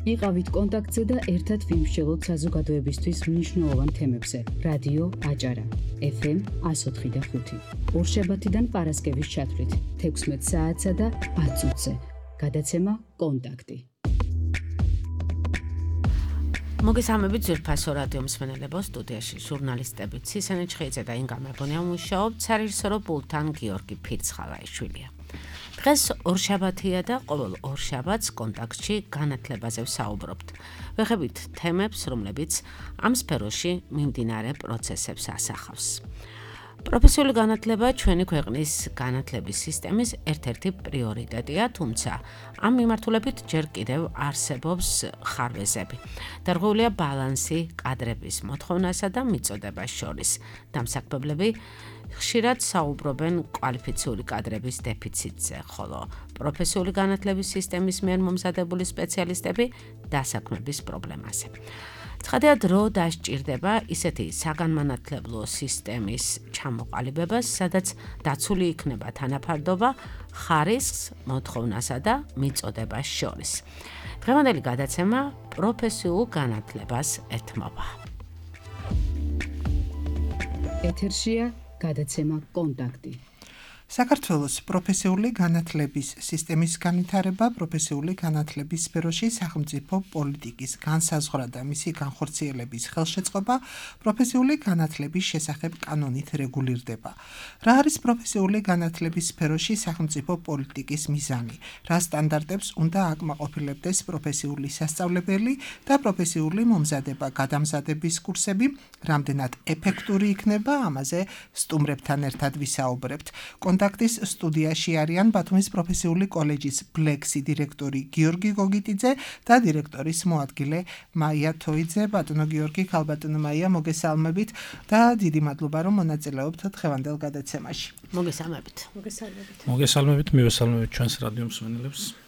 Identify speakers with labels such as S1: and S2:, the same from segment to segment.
S1: იყავით კონტაქტზე და ერთად ვიმსჯელოთ საზოგადოებისთვის მნიშვნელოვან თემებზე. რადიო აჭარა, FM 104.5. ორშაბათიდან პარასკევის ჩათვლით 16 საათსა და 10 წუთზე. გადაცემა კონტაქტი.
S2: მოგესალმებით ძვირფასო რადიო მსმენელებო, სტუდიაში ჟურნალისტები ცისენე ჩხეიძე და ინგა მებონია მუშაობთ, სარისორო პულტთან გიორგი ფირცხალაიშვილია. დღეს ორშაბათია და ყოველ ორშაბათს კონტაქტში განათლებაზე ვსაუბრობთ. ვეხებით თემებს, რომლებიც ამ სფეროში მიმდინარე პროცესებს ასახავს. პროფესიული განათლება ჩვენი ქვეყნის განათლების სისტემის ერთ-ერთი პრიორიტეტია, თუმცა ამ მიმართულებით ჯერ კიდევ არსებობს ხარვეზები. დარღვეულია ბალანსი კადრების მოთხოვნასა და მიწოდებას შორის. დამსაქმებლები ხშირად საუბრობენ კვალიფიციური კადრების დეფიციტზე, ხოლო პროფესიული განათლების სისტემის მიერ მომზადებული სპეციალისტები დასაქმების პრობლემაზე. ცხადია, დრო დასჭირდება ისეთი საგანმანათლებლო სისტემის ჩამოყალიბებას, სადაც დაცული იქნება თანაფარდობა ხარისხს, მოთხოვნასა და მიწოდებას შორის. დღევანდელი გადაცემა პროფესიულ განათლებას ეთმობა.
S1: ეთერშია გადაცემა კონტაქტი.
S3: საქართველოს პროფესიული განათლების სისტემის განვითარება პროფესიული განათლების სფეროში სახელმწიფო პოლიტიკის განსაზღვრა და მისი განხორციელების ხელშეწყობა პროფესიული განათლების შესახებ კანონით რეგულირდება. რა არის პროფესიული განათლების სფეროში სახელმწიფო პოლიტიკის მიზანი? რა სტანდარტებს უნდა აკმაყოფილებდეს პროფესიული სასწავლებელი და პროფესიული მომზადება-გადამზადების კურსები? რამდენად ეფექტური იქნება? ამაზე სტუმრებთან ერთად ვისაუბრებთ. კონტაქტის სტუდიაში არიან ბათუმის პროფესიული კოლეჯის ბლექსი დირექტორი გიორგი გოგიტიძე და დირექტორის მოადგილე მაია თოიძე. ბატონო გიორგი, ქალბატონო მაია, მოგესალმებით და დიდი მადლობა, რომ მონაწილეობთ დღევანდელ გადაცემაში.
S2: მოგესალმებით.
S4: მოგესალმებით, მივესალმებით ჩვენს რადიო მსმენელებს.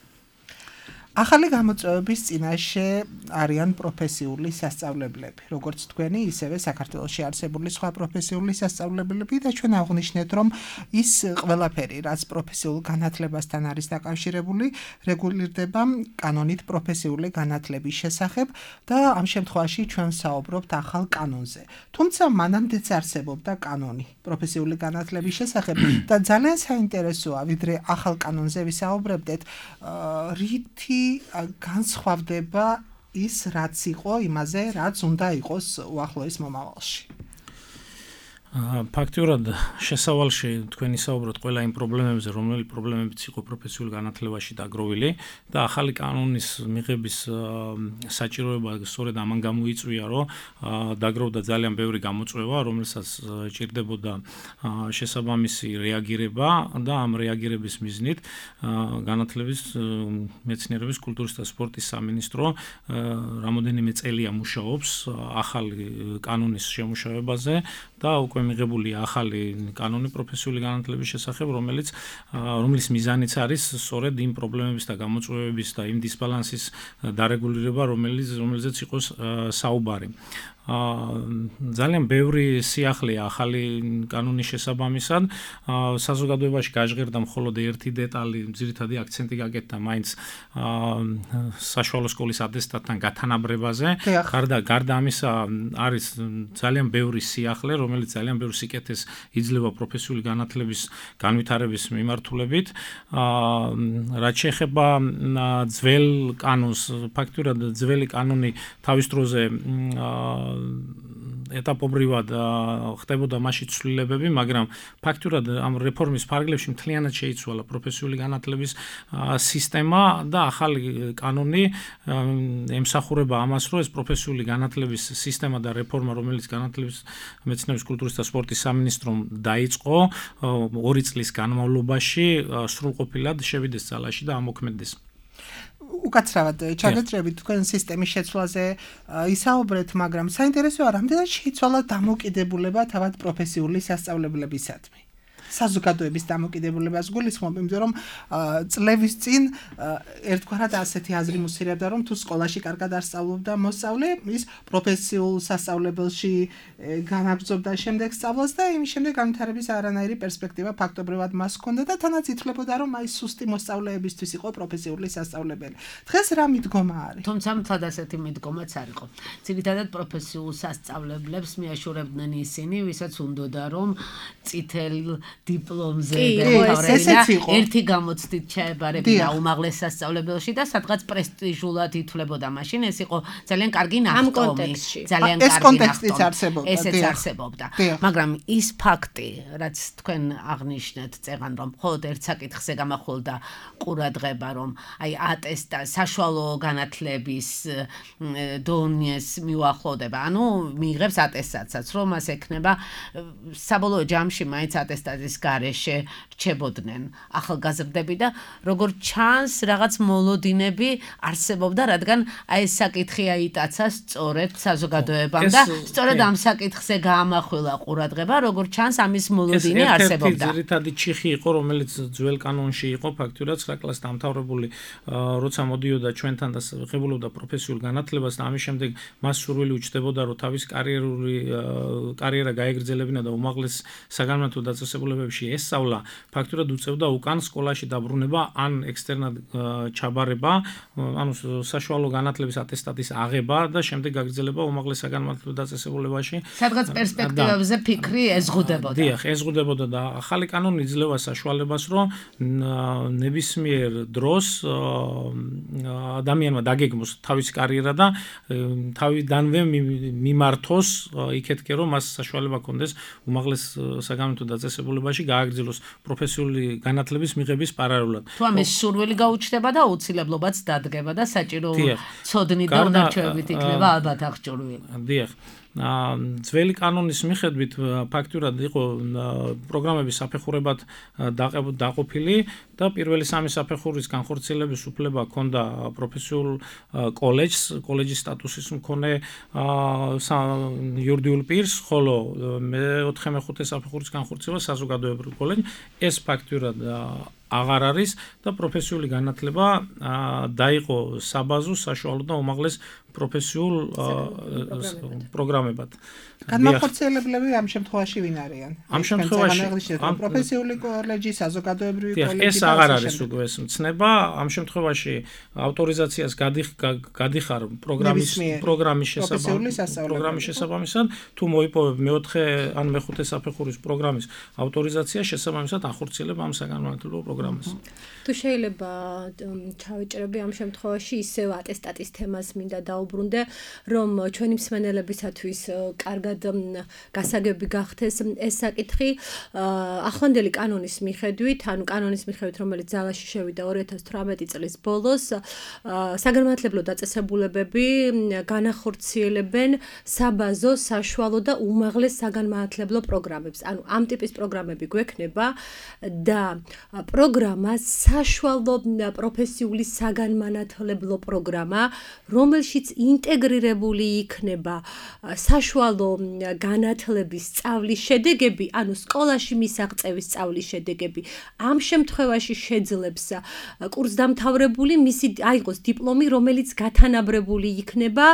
S3: ახალი გამოწვევების წინაშე არიან პროფესიული სასწავლებლები, როგორც თქვენი, ისევე საქართველოში არსებული სხვა პროფესიული სასწავლებლები და ჩვენ აღვნიშნეთ, რომ ის ყველაფერი, რაც პროფესიულ განათლებასთან არის დაკავშირებული, რეგულირდება კანონით პროფესიული განათლების შესახებ და ამ შემთხვევაში ჩვენ საუბრობთ ახალ კანონზე. თუმცა მანამდეც არსებობდა კანონი პროფესიული განათლების შესახებ და ძალიან საინტერესოა, ვიდრე ახალ კანონზე ვისაუბრებდეთ, რითი განსხვავდება ის, რაც იყო იმაზე, რაც უნდა იყოს უახლოეს მომავალში.
S4: ფაქტიურად შესავალში თქვენი საუბრობთ ყველა იმ პრობლემებზე, რომელი პრობლემებიც იყო პროფესიულ განათლებაში დაგროვილი და ახალი კანონის მიღების საჭიროება სწორედ ამან გამოიწვია, რომ დაგროვდა ძალიან ბევრი გამოწვევა, რომელსაც ჭირდებოდა შესაბამისი რეაგირება და ამ რეაგირების მიზნით განათლების, მეცნიერების, კულტურის და სპორტის სამინისტრო რამოდენიმე წელია მუშაობს ახალი კანონის შემუშავებაზე და უკვე მიღებული ახალი კანონი პროფესიული განათლების შესახებ, რომლის მიზანიც არის სწორედ იმ პრობლემების და გამოწვევების და იმ დისბალანსის დარეგულირება, რომელზეც იყოს საუბარი. ძალიან ბევრი სიახლეა ახალი კანონის შესაბამისად. საზოგადოებაში გაჟღერდა მხოლოდ ერთი დეტალი, ძირითადი აქცენტი გაკეთდა მაინც საშუალო სკოლის ატესტატთან გათანაბრებაზე. გარდა ამისა არის ძალიან ბევრი სიახლე, რომელიც ძალიან ბევრ სიკეთეს იძლევა პროფესიული განათლების განვითარების მიმართულებით. რაც შეეხება ძველ კანონს, ფაქტურად ძველი კანონი თავის დროზე ეტაპობრივად ხდებოდა მასში ცვლილებები, მაგრამ ფაქტურად ამ რეფორმის ფარგლებში მთლიანად შეიცვალა პროფესიული განათლების სისტემა და ახალი კანონი ემსახურება ამას, რომ ეს პროფესიული განათლების სისტემა და რეფორმა, რომელიც განათლების, მეცნიერების, კულტურის და სპორტის სამინისტრომ დაიწყო 2 წლის განმავლობაში, სრულყოფილად შევიდეს ძალაში და ამოქმედდეს.
S3: უკაცრავად ჩაგეჭრებით თქვენ სისტემის შეცვლაზე ისაუბრეთ, მაგრამ საინტერესოა, რამდენად შეიცვალა დამოკიდებულება თავად პროფესიული სასწავლებლებისადმი. საზოგადოების დამოკიდებულებას გულისხმობ, იმიტომ რომ წლების წინ ერთგვარად ასეთი აზრი მუსირებდა, რომ თუ სკოლაში კარგად არ სწავლობდა მოსწავლე, ის პროფესიულ სასწავლებელში განაგრძობდა შემდეგ სწავლას და იმის შემდეგ განვითარების არანაირი პერსპექტივა ფაქტობრივად მას ჰქონდა და თანაც ითვლებოდა, რომ აი სუსტი მოსწავლეებისთვის იყო პროფესიული სასწავლებელი. დღეს რა მიდგომა არის?
S2: თუმცა მთლად ასეთი მიდგომაც არ იყო. ძირითადად პროფესიულ სასწავლებლებს მიაშურებდნენ ისინი, ვისაც უნდოდა რომ წითელ დიპლომზე დაეთავრებინა, ერთი გამოცდით ჩაებარებინა უმაღლეს სასწავლებელში და სადღაც პრესტიჟულად ითვლებოდა. მაშინ ეს იყო ძალიან კარგი ნახტომი, ძალიან კარგი ნახტომი. ესეც არსებობდა. მაგრამ ის ფაქტი, რაც თქვენ აღნიშნეთ, წეღან რომ მხოლოდ ერთ საკითხზე გამახვილდა ყურადღება, რომ აი ატესტა საშუალო განათლების დონეს მიუახლოვდება. ანუ მიიღებს ატესტაცაც, რომ მას ექნება საბოლოო ჯამში მაინც ატესტატის გარეშე რჩებოდნენ ახალგაზრდები და როგორც ჩანს რაღაც მოლოდინები არსებობდა, რადგან აი ეს საკითხი აიტაცა სწორედ საზოგადოებამ და სწორედ ამ საკითხზე გაამახვილა ყურადღება, როგორც ჩანს ამის მოლოდინი არსებობდა.
S4: ეს ერთადერთი ჩიხი იყო, რომელიც ძველ კანონში იყო ფაქტურად 9 კლასს დამთავრებული, როცა მოდიოდა ჩვენთან და ღებულობდა პროფესიულ განათლებას და ამის შემდეგ მას სურვილი უჩნდებოდა, რომ თავის კარიერა გაეგრძელებინა და უმაღლეს საგანმანათლებლო დაწესებულებებში ესწავლა, ფაქტურად უწევდა უკან სკოლაში დაბრუნება ან ექსტერნად ჩაბარება, ანუ საშუალო განათლების ატესტატის აღება და შემდეგ გაგრძელება უმაღლეს საგანმანათლებლო დაწესებულებაში.
S2: სადღაც პერსპექტივებზე ფიქრი ეზღუდებოდა.
S4: დიახ, ეზღუდებოდა და ახალი კანონი იძლევა საშუალებას, რომ ნებისმიერ დროს ადამიანმა დაგეგმოს თავისი კარიერა და თავიდანვე მიმართოს იქეთკე, რომ მას საშუალება ჰქონდეს უმაღლეს საგანმანათლებლო დაწესებულებაში გააგრძელოს პროფესიული განათლების მიღების პარალელურად.
S2: თუ ამის სურვილი გაუჩნდება და აუცილებლობაც დადგება და საჭირო ცოდნით და უნარჩვევებით იქნება ალბათ აღჭურვილი.
S4: დიახ. ძველი კანონის მიხედვით ფაქტურად იყო პროგრამების საფეხურებად დაყოფილი და პირველი სამი საფეხურის განხორციელების უფლება ჰქონდა პროფესიულ კოლეჯის სტატუსის მქონე იურიდიულ პირს, ხოლო მეოთხე მეხუთე საფეხურის განხორციელება საზოგადოებრივ კოლეჯს. ეს ფაქტურად აღარ არის და პროფესიული განათლება დაიყო საბაზო, საშუალო და უმაღლეს პროფესიულ პროგრამებად.
S3: განმახორციელებლები ამ შემთხვევაში ვინ არიან?
S4: ამ შემთხვევაში
S3: პროფესიული კოლეჯი, საზოგადოებრივი კოლეჯი.
S4: ეს აღარ არის უკვე ეს მცნება. ამ შემთხვევაში ავტორიზაციას გადიხარ პროგრამის შესაბამისად, თუ მოიპოვებ მეოთხე ან მეხუთე საფეხურის პროგრამის ავტორიზაცია, შესაბამისად ახორციელებ ამ საგანმანათლებლო პროგრამას.
S5: თუ შეიძლება ჩავეჭრები ამ შემთხვევაში ისევ ატესტატის თემას მინდა დაუბრუნდე, რომ ჩვენი მსმენელებისათვის კარგად გასაგები გახდეს ეს საკითხი. ახლანდელი კანონის მიხედვით, ანუ კანონის მიხედვით, რომელიც ძალაში შევიდა 2018 წლის ბოლოს, საგანმანათლებლო დაწესებულებები განახორციელებენ საბაზო, საშუალო და უმაღლეს საგანმანათლებლო პროგრამებს. ანუ ამ ტიპის პროგრამები გვექნება და პროგრამა საშუალო პროფესიული საგანმანათლებლო პროგრამა, რომელშიც ინტეგრირებული იქნება საშუალო განათლების სწავლის შედეგები, ანუ სკოლაში მისაღწევის სწავლის შედეგები. ამ შემთხვევაში შეძლებს კურსდამთავრებული მისი აიღოს დიპლომი, რომელიც გათანაბრებული იქნება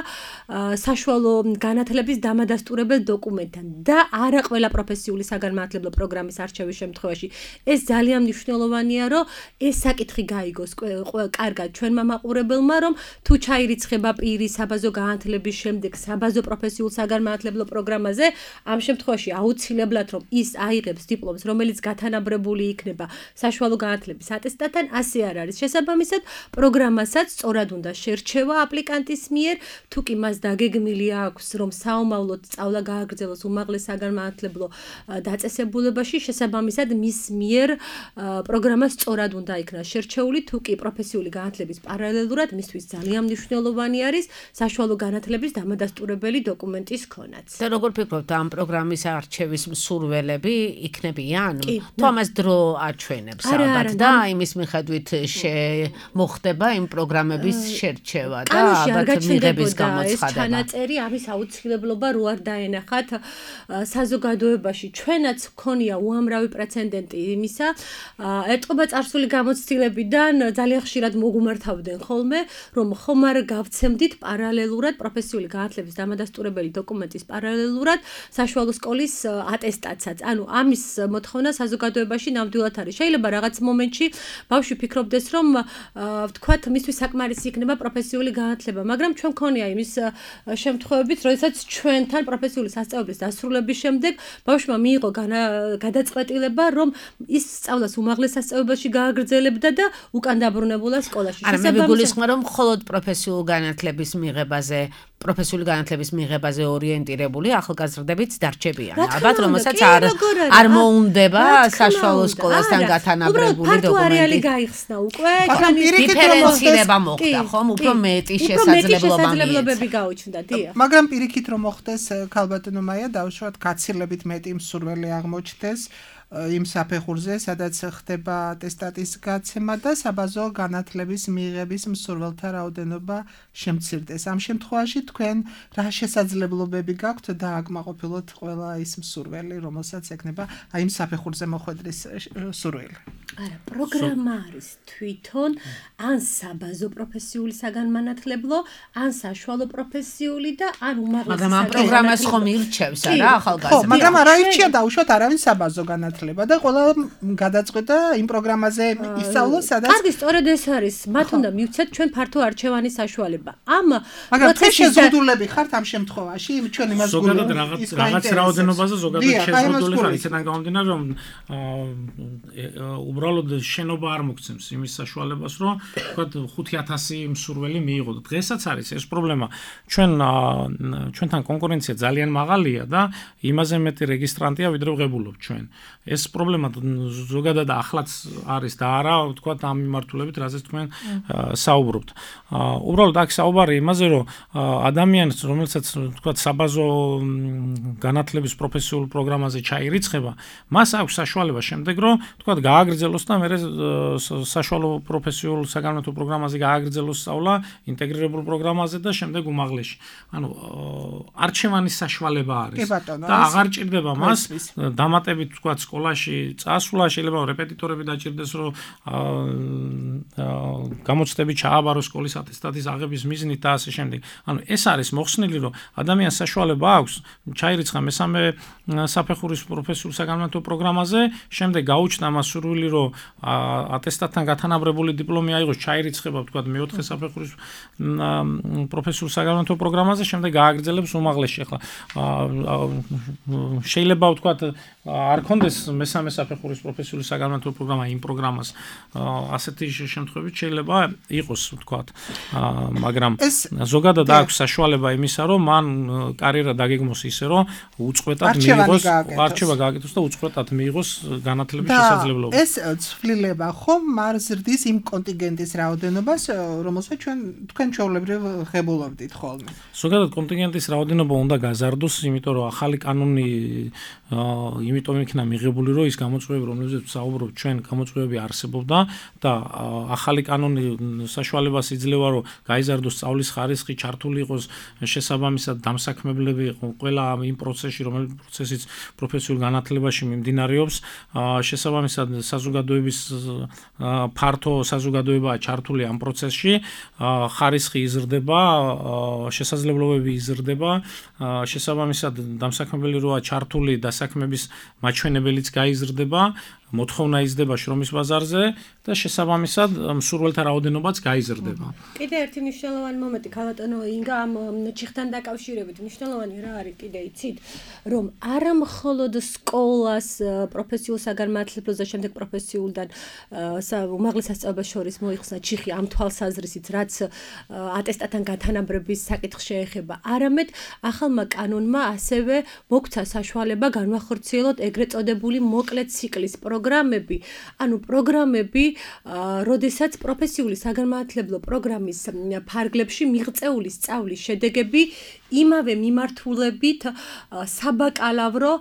S5: საშუალო განათლების დამადასტურებელ დოკუმენტთან და არა ყველა პროფესიული საგანმანათლებლო პროგრამის არჩევის შემთხვევაში. ეს ძალიან მნიშვნელოვანია, რომ ეს საკითხი გაიგოს კარგად ჩვენმა მაყურებელმა, რომ თუ ჩაირიცხება პირი საბაზო განათლების შემდეგ საბაზო პროფესიულ საგანმანათლებლო პროგრამაზე, ამ შემთხვევაში აუცილებლად რომ ის აიღებს დიპლომს, რომელიც გათანაბრებული იქნება საშუალო განათლების ატესტატთან, ასე არ არის. შესაბამისად, პროგრამასაც სწორად უნდა შერჩევა აპლიკანტის მიერ, თუ კი მას დაგეგმილი აქვს, რომ საომავლოდ სწავლა გააგრძელოს უმაღლეს საგანმანათლებლო დაწესებულებაში, შესაბამისად მის მიერ პროგრამა სწორად უნდა იქნას შერჩეული, თუ კი პროფესიული განათლების პარალელურად მისთვის ძალიან მნიშვნელოვანი არის საშუალო განათლების დამადასტურებელი დოკუმენტის ქონაც.
S2: და როგორ ფიქრობთ ამ პროგრამის არჩევის მსურველები იქნებიან? თუ ამას დრო აჩვენებს ალბათ და იმის მიხედვით მოხდება იმ პროგრამების შერჩევა და ალბათ მიღების გამოცხადება.
S5: ჩანაწერი ამის აუცილებლობა რო არ დაენახათ საზოგადოებაში ჩვენაც ქონია უამრავი პრეცედენტი იმისა ეტყობა წარსული გამოცდილებიდან ძალიან ხშირად მოგუმართავდნენ ხოლმე რომ ხომ არ გავცემდით პარალელურად პროფესიული განათლების დამადასტურებელი დოკუმენტის პარალელურად საშუალო სკოლის ატესტაცაც ანუ ამის მოთხოვნა საზოგადოებაში ნამდვილად არის შეიძლება რაღაც მომენტში ბავშვი ფიქრობდეს რომ ვთქვათ მისთვის საკმარისი იქნება პროფესიული განათლება მაგრამ ჩვენ ქონია იმის შემთხვევებით როდესაც ჩვენთან პროფესიული სასწავლებლის დასრულების შემდეგ ბავშვმა მიიღო გადაწყვეტილება რომ ის სწავლას უმაღლეს სასწავლებელში გააგრძელებდა და უკან დაბრუნებულა სკოლაში.
S2: არა მე გულისხმობ რომ მხოლოდ პროფესიული განათლების მიღებაზე ორიენტირებული ახალგაზრდებიც დარჩებიან. ალბათ რომელსაც არ მოუნდება საშუალო სკოლასთან გათანაბრებული დოკუმენტი.
S5: უბრალოდ არეალი გაიხსნა უკვე.
S2: დიფერენცირება მოხდა ხომ? უფრო მეტი შესაძლებლობები
S5: გაუჩნდა, დიახ.
S3: მაგრამ პირიქით რომ მოხდეს ქალბატონო მაია დავუშვათ გაცილებით მეტი მსურველი აღმოჩნდეს იმ საფეხურზე, სადაც ხდება ატესტატის გაცემა და საბაზო განათლების მიღების მსურველთა რაოდენობა შემცირდეს. ამ შემთხვევაში თქვენ რა შესაძლებლობები გაქვთ დააკმაყოფილოთ ყველა ის მსურველი, რომელსაც ექნება აი იმ საფეხურზე მოხვედრის სურვილი?
S5: არა, პროგრამა არის თვითონ ან საბაზო პროფესიული საგანმანათლებლო, ან საშუალო პროფესიული და ან უმაღლესი.
S2: მაგრამ ამ პროგრამას ხომ ირჩევს არა ახალგაზრდა?
S3: ხო, მაგრამ არ აირჩია დაუშვათ არავინ საბაზო განათლება და ყველა გადაწყვეტა იმ პროგრამაზე ისწავლოს, სადაც
S5: კარგი, სწორედ ეს არის. მათ უნდა მივცეთ ჩვენ ფართო არჩევანის საშუალება.
S3: მაგრამ თქვენ შეზღუდულები ხართ ამ შემთხვევაში, ჩვენ იმას
S4: ზოგადად რაღაც რაოდენობაზე ზოგადად შეზღუდული ხარ, ისედან გამომდინარე რომ უბრალოდ შენობა არ მოგცემს იმის საშუალებას, რომ თქვათ 5000 მსურველი მიიღოთ. დღესაც არის ეს პრობლემა. ჩვენთან კონკურენცია ძალიან მაღალია და იმაზე მეტი რეგისტრანტია ვიდრე ვღებულობ ჩვენ. ეს პრობლემა ზოგადად ახლაც არის და არა თქვათ ამ მიმართულებით, რაზეც თქვენ საუბრობთ. უბრალოდ აქ საუბარი იმაზე, რომ ადამიანს, რომელსაც თქვათ საბაზო განათლების პროფესიულ პროგრამაზე ჩაირიცხება, მას აქვს საშუალება შემდეგ, რომ თქვათ გააგრძელოს და მერე საშუალო პროფესიულ საგანმანათლებლო პროგრამაზე გააგრძელოს სწავლა ინტეგრირებულ პროგრამაზე და შემდეგ უმაღლესში. ანუ არჩევანის საშუალება არის და აღარ ჭირდება მას დამატებით თქვათ სკოლაში წასვლა, შეიძლება რეპეტიტორები დაჭირდეს, რომ გამოცდები ჩააბაროს სკოლის ატესტატის აღების მიზნით და ასე შემდეგ. ანუ ეს არის მოხსნილი, რომ ადამიანს საშუალება აქვს ჩაირიცხა მესამე საფეხურის პროფესიულ საგანმანათლებლო პროგრამაზე, შემდეგ გაუჩნდა მას სურვილი, რომ ატესტატთან გათანაბრებული დიპლომი აიღოს, ჩაირიცხება თქვათ მეოთხე საფეხურის პროფესიულ საგანმანათლებლო პროგრამაზე, შემდეგ გააგრძელებს უმაღლესში. ახლა შეიძლება ვთქვათ არ ქონდეს მესამე საფეხურის პროფესიული საგანმანათლებლო პროგრამა იმ პროგრამას ასეთი შემთხვევით შეიძლება იყოს ვთქვათ მაგრამ ზოგადად აქვს საშუალება იმისა რომ მან კარიერა დაგეგმოს ისე რომ უწყვეტად მიიღოს არჩევა გააკეთოს და უწყვეტად მიიღოს განათლების შესაძლებლობა.
S3: ეს ცვლილება ხომ არ ზრდის იმ კონტინგენტის რაოდენობას რომელსაც თქვენ ჩვეულებრივ ღებულობდით ხოლმე.
S4: ზოგადად კონტინგენტის რაოდენობა უნდა გაზარდოს, იმიტომ რომ ახალი კანონი იმიტომ იქნა მიღებული, რომ ის გამოწვევები, რომლებზეც საუბრობთ ჩვენ, გამოწვევები არსებობდა და ახალი კანონი საშუალებას იძლევა, რომ გაიზარდოს სწავლის ხარისხი, ჩართული იყოს შესაბამისად დამსაქმებლები ყველა იმ პროცესში, რომელიც პროცესიც პროფესიულ განათლებაში მიმდინარეობს, შესაბამისად საზოგადოების ფართო საზოგადოებაა ჩართული ამ პროცესში, ხარისხი იზრდება, შესაძლებლობები იზრდება, შესაბამისად დამსაქმებელი როა ჩართული დასაქმების მაჩვენებელიც გაიზრდება, მოთხოვნა იზრდება შრომის ბაზარზე და შესაბამისად მსურველთა რაოდენობაც გაიზრდება.
S5: კიდე ერთი მნიშვნელოვანი მომენტი ქალბატონო ინგა ამ ჩიხთან დაკავშირებით მნიშვნელოვანი რა არის კიდე იცით რომ არა მხოლოდ სკოლას პროფესიულ საგანმანათლებლოს და შემდეგ პროფესიულთან უმაღლეს სასწავლებელს შორის მოიხსნა ჩიხი ამ თვალსაზრისით რაც ატესტატთან გათანაბრების საკითხს შეეხება, არამედ ახალმა კანონმა ასევე მოგცა საშუალება განვახორციელოთ ეგრეთ წოდებული მოკლე ციკლის პროგრამა პროგრამები, როდესაც პროფესიული საგანმანათლებლო პროგრამის ფარგლებში მიღწეული სწავლის შედეგები იმავე მიმართულებით საბაკალავრო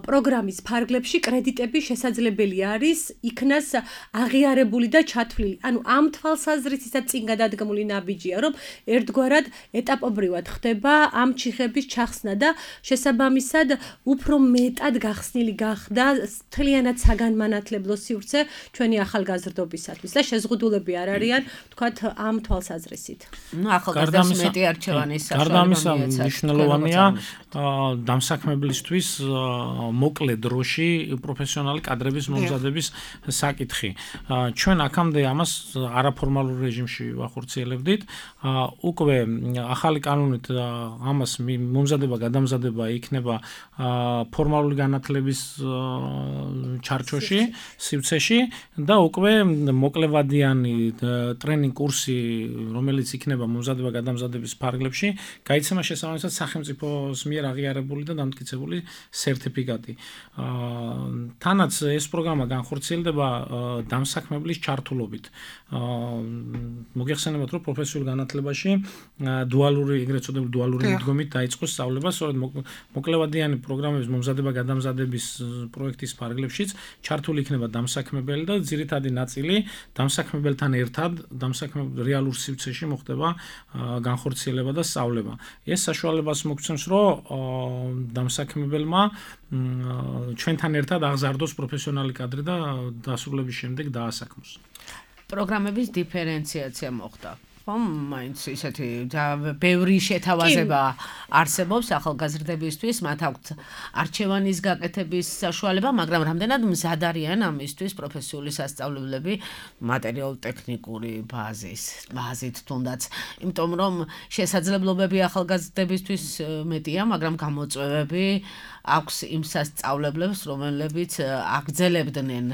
S5: პროგრამის ფარგლებში კრედიტები შესაძლებელი არის იქნას აღიარებული და ჩათვლილი. ამ თვალსაზრისითაც წინ გადადგმული ნაბიჯია, რომ ერთგვარად ეტაპობრივად ხდება ამ ჩიხების ჩახსნა და შესაბამისად უფრო მეტად გახსნილი გახდა მთლიანად საგანმანათლებლო სივრცე ჩვენი ახალგაზრდობისათვის და შეზღუდულები არ არიან, ვთქვათ, ამ თვალსაზრისით.
S2: ახალგაზრდებს მეტი არჩევანის საშუალება
S4: მნიშვნელოვანია დამსაქმებლისთვის მოკლე დროში პროფესიონალი კადრების მომზადების საკითხი. ჩვენ აქამდე ამას არაფორმალურ რეჟიმში ვახორციელებდით. უკვე ახალი კანონით ამას მომზადება, გადამზადება იქნება ფორმალური განათლების ჩარჩოში, სივრცეში და უკვე მოკლევადიანი ტრენინგ კურსი, რომელიც იქნება მომზადება გადამზადების ფარგლებში, გაიცემა შესაბამისად სახელმწიფოს მიერ აღიარებული და დამტკიცებული სერტიფიკატი. თანაც ეს პროგრამა განხორციელდება დამსაქმებლის ჩართულობით. მოგეხსენებათ, რომ პროფესიულ განათლებაში ეგრეთ წოდებული დუალური მიდგომით დაიწყო სწავლება, სწორედ მოკლევადიანი პროგრამების მომზადება გადამზადების პროექტის ფარგლებშიც ჩართული იქნება დამსაქმებელი და ძირითადი ნაწილი დამსაქმებელთან ერთად რეალურ სივრცეში მოხდება განხორციელება და სწავლება. ეს საშუალებას მოგცემს, რომ დამსაქმებელმა ჩვენთან ერთად აღზარდოს პროფესიონალი კადრი და დასრულების შემდეგ დაასაქმოს.
S2: პროგრამების დიფერენციაცია მოხდა. მაინც ისეთი ბევრი შეთავაზება არსებობს ახალგაზრდებისთვის, მათ აქვთ არჩევანის გაკეთების საშუალება, მაგრამ რამდენად მზად არიან ამისთვის პროფესიული სასწავლებლები მატერიალურ-ტექნიკური ბაზით თუნდაც, იმიტომ რომ შესაძლებლობები ახალგაზრდებისთვის მეტია, მაგრამ გამოწვევები აქვს იმ სასწავლებლებს, რომლებიც აგრძელებდნენ,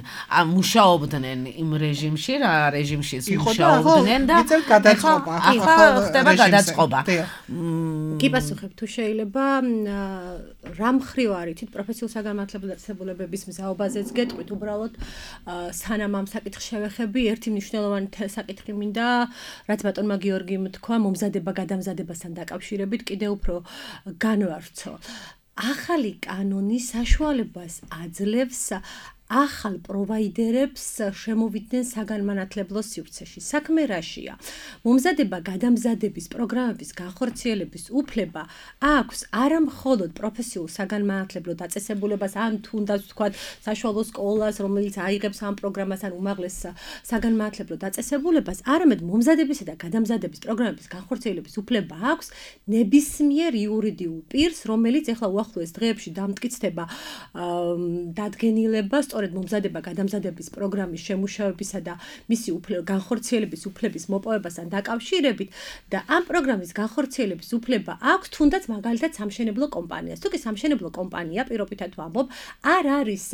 S2: მუშაობდნენ იმ რეჟიმში, რა რეჟიმშიც მუშაობდნენ და ხდება გადაწყობა.
S5: კი პასუხებ, თუ შეიძლება რა მხრივ არის პროფესიულ საგანმანათლებლო დაწესებულებების მზაობაზეც გეტყვით, უბრალოდ სანამ ამ საკითხს შევეხები, ერთი მნიშვნელოვანი საკითხი მინდა, რაც ბატონმა გიორგიმ თქვა, მომზადება გადამზადებასთან დაკავშირებით კიდევ უფრო განვავრცო. ახალი კანონი საშუალებას აძლევს ახალ პროვაიდერებს შემოვიდნენ საგანმანათლებლო სივრცეში. საქმე რაშია? მომზადება გადამზადების პროგრამების განხორციელების უფლება აქვს არა მხოლოდ პროფესიულ საგანმანათლებლო დაწესებულებას, ან თუნდაც ვთქვათ საშუალო სკოლას, რომელიც აიღებს ამ პროგრამას, ან უმაღლეს საგანმანათლებლო დაწესებულებას, არამედ მომზადებისა და გადამზადების პროგრამების განხორციელების უფლება აქვს ნებისმიერ იურიდიულ პირს, რომელიც ახლა უახლოეს დღეებში დამტკიცდება დადგენილება სწორედ მომზადება გადამზადების პროგრამის შემუშავებისა და მისი განხორციელების უფლების მოპოვებასთან დაკავშირებით და ამ პროგრამის განხორციელების უფლება აქვს თუნდაც მაგალითად სამშენებლო კომპანიას. თუ კი სამშენებლო კომპანია პირობითად ვამბობ, არ არის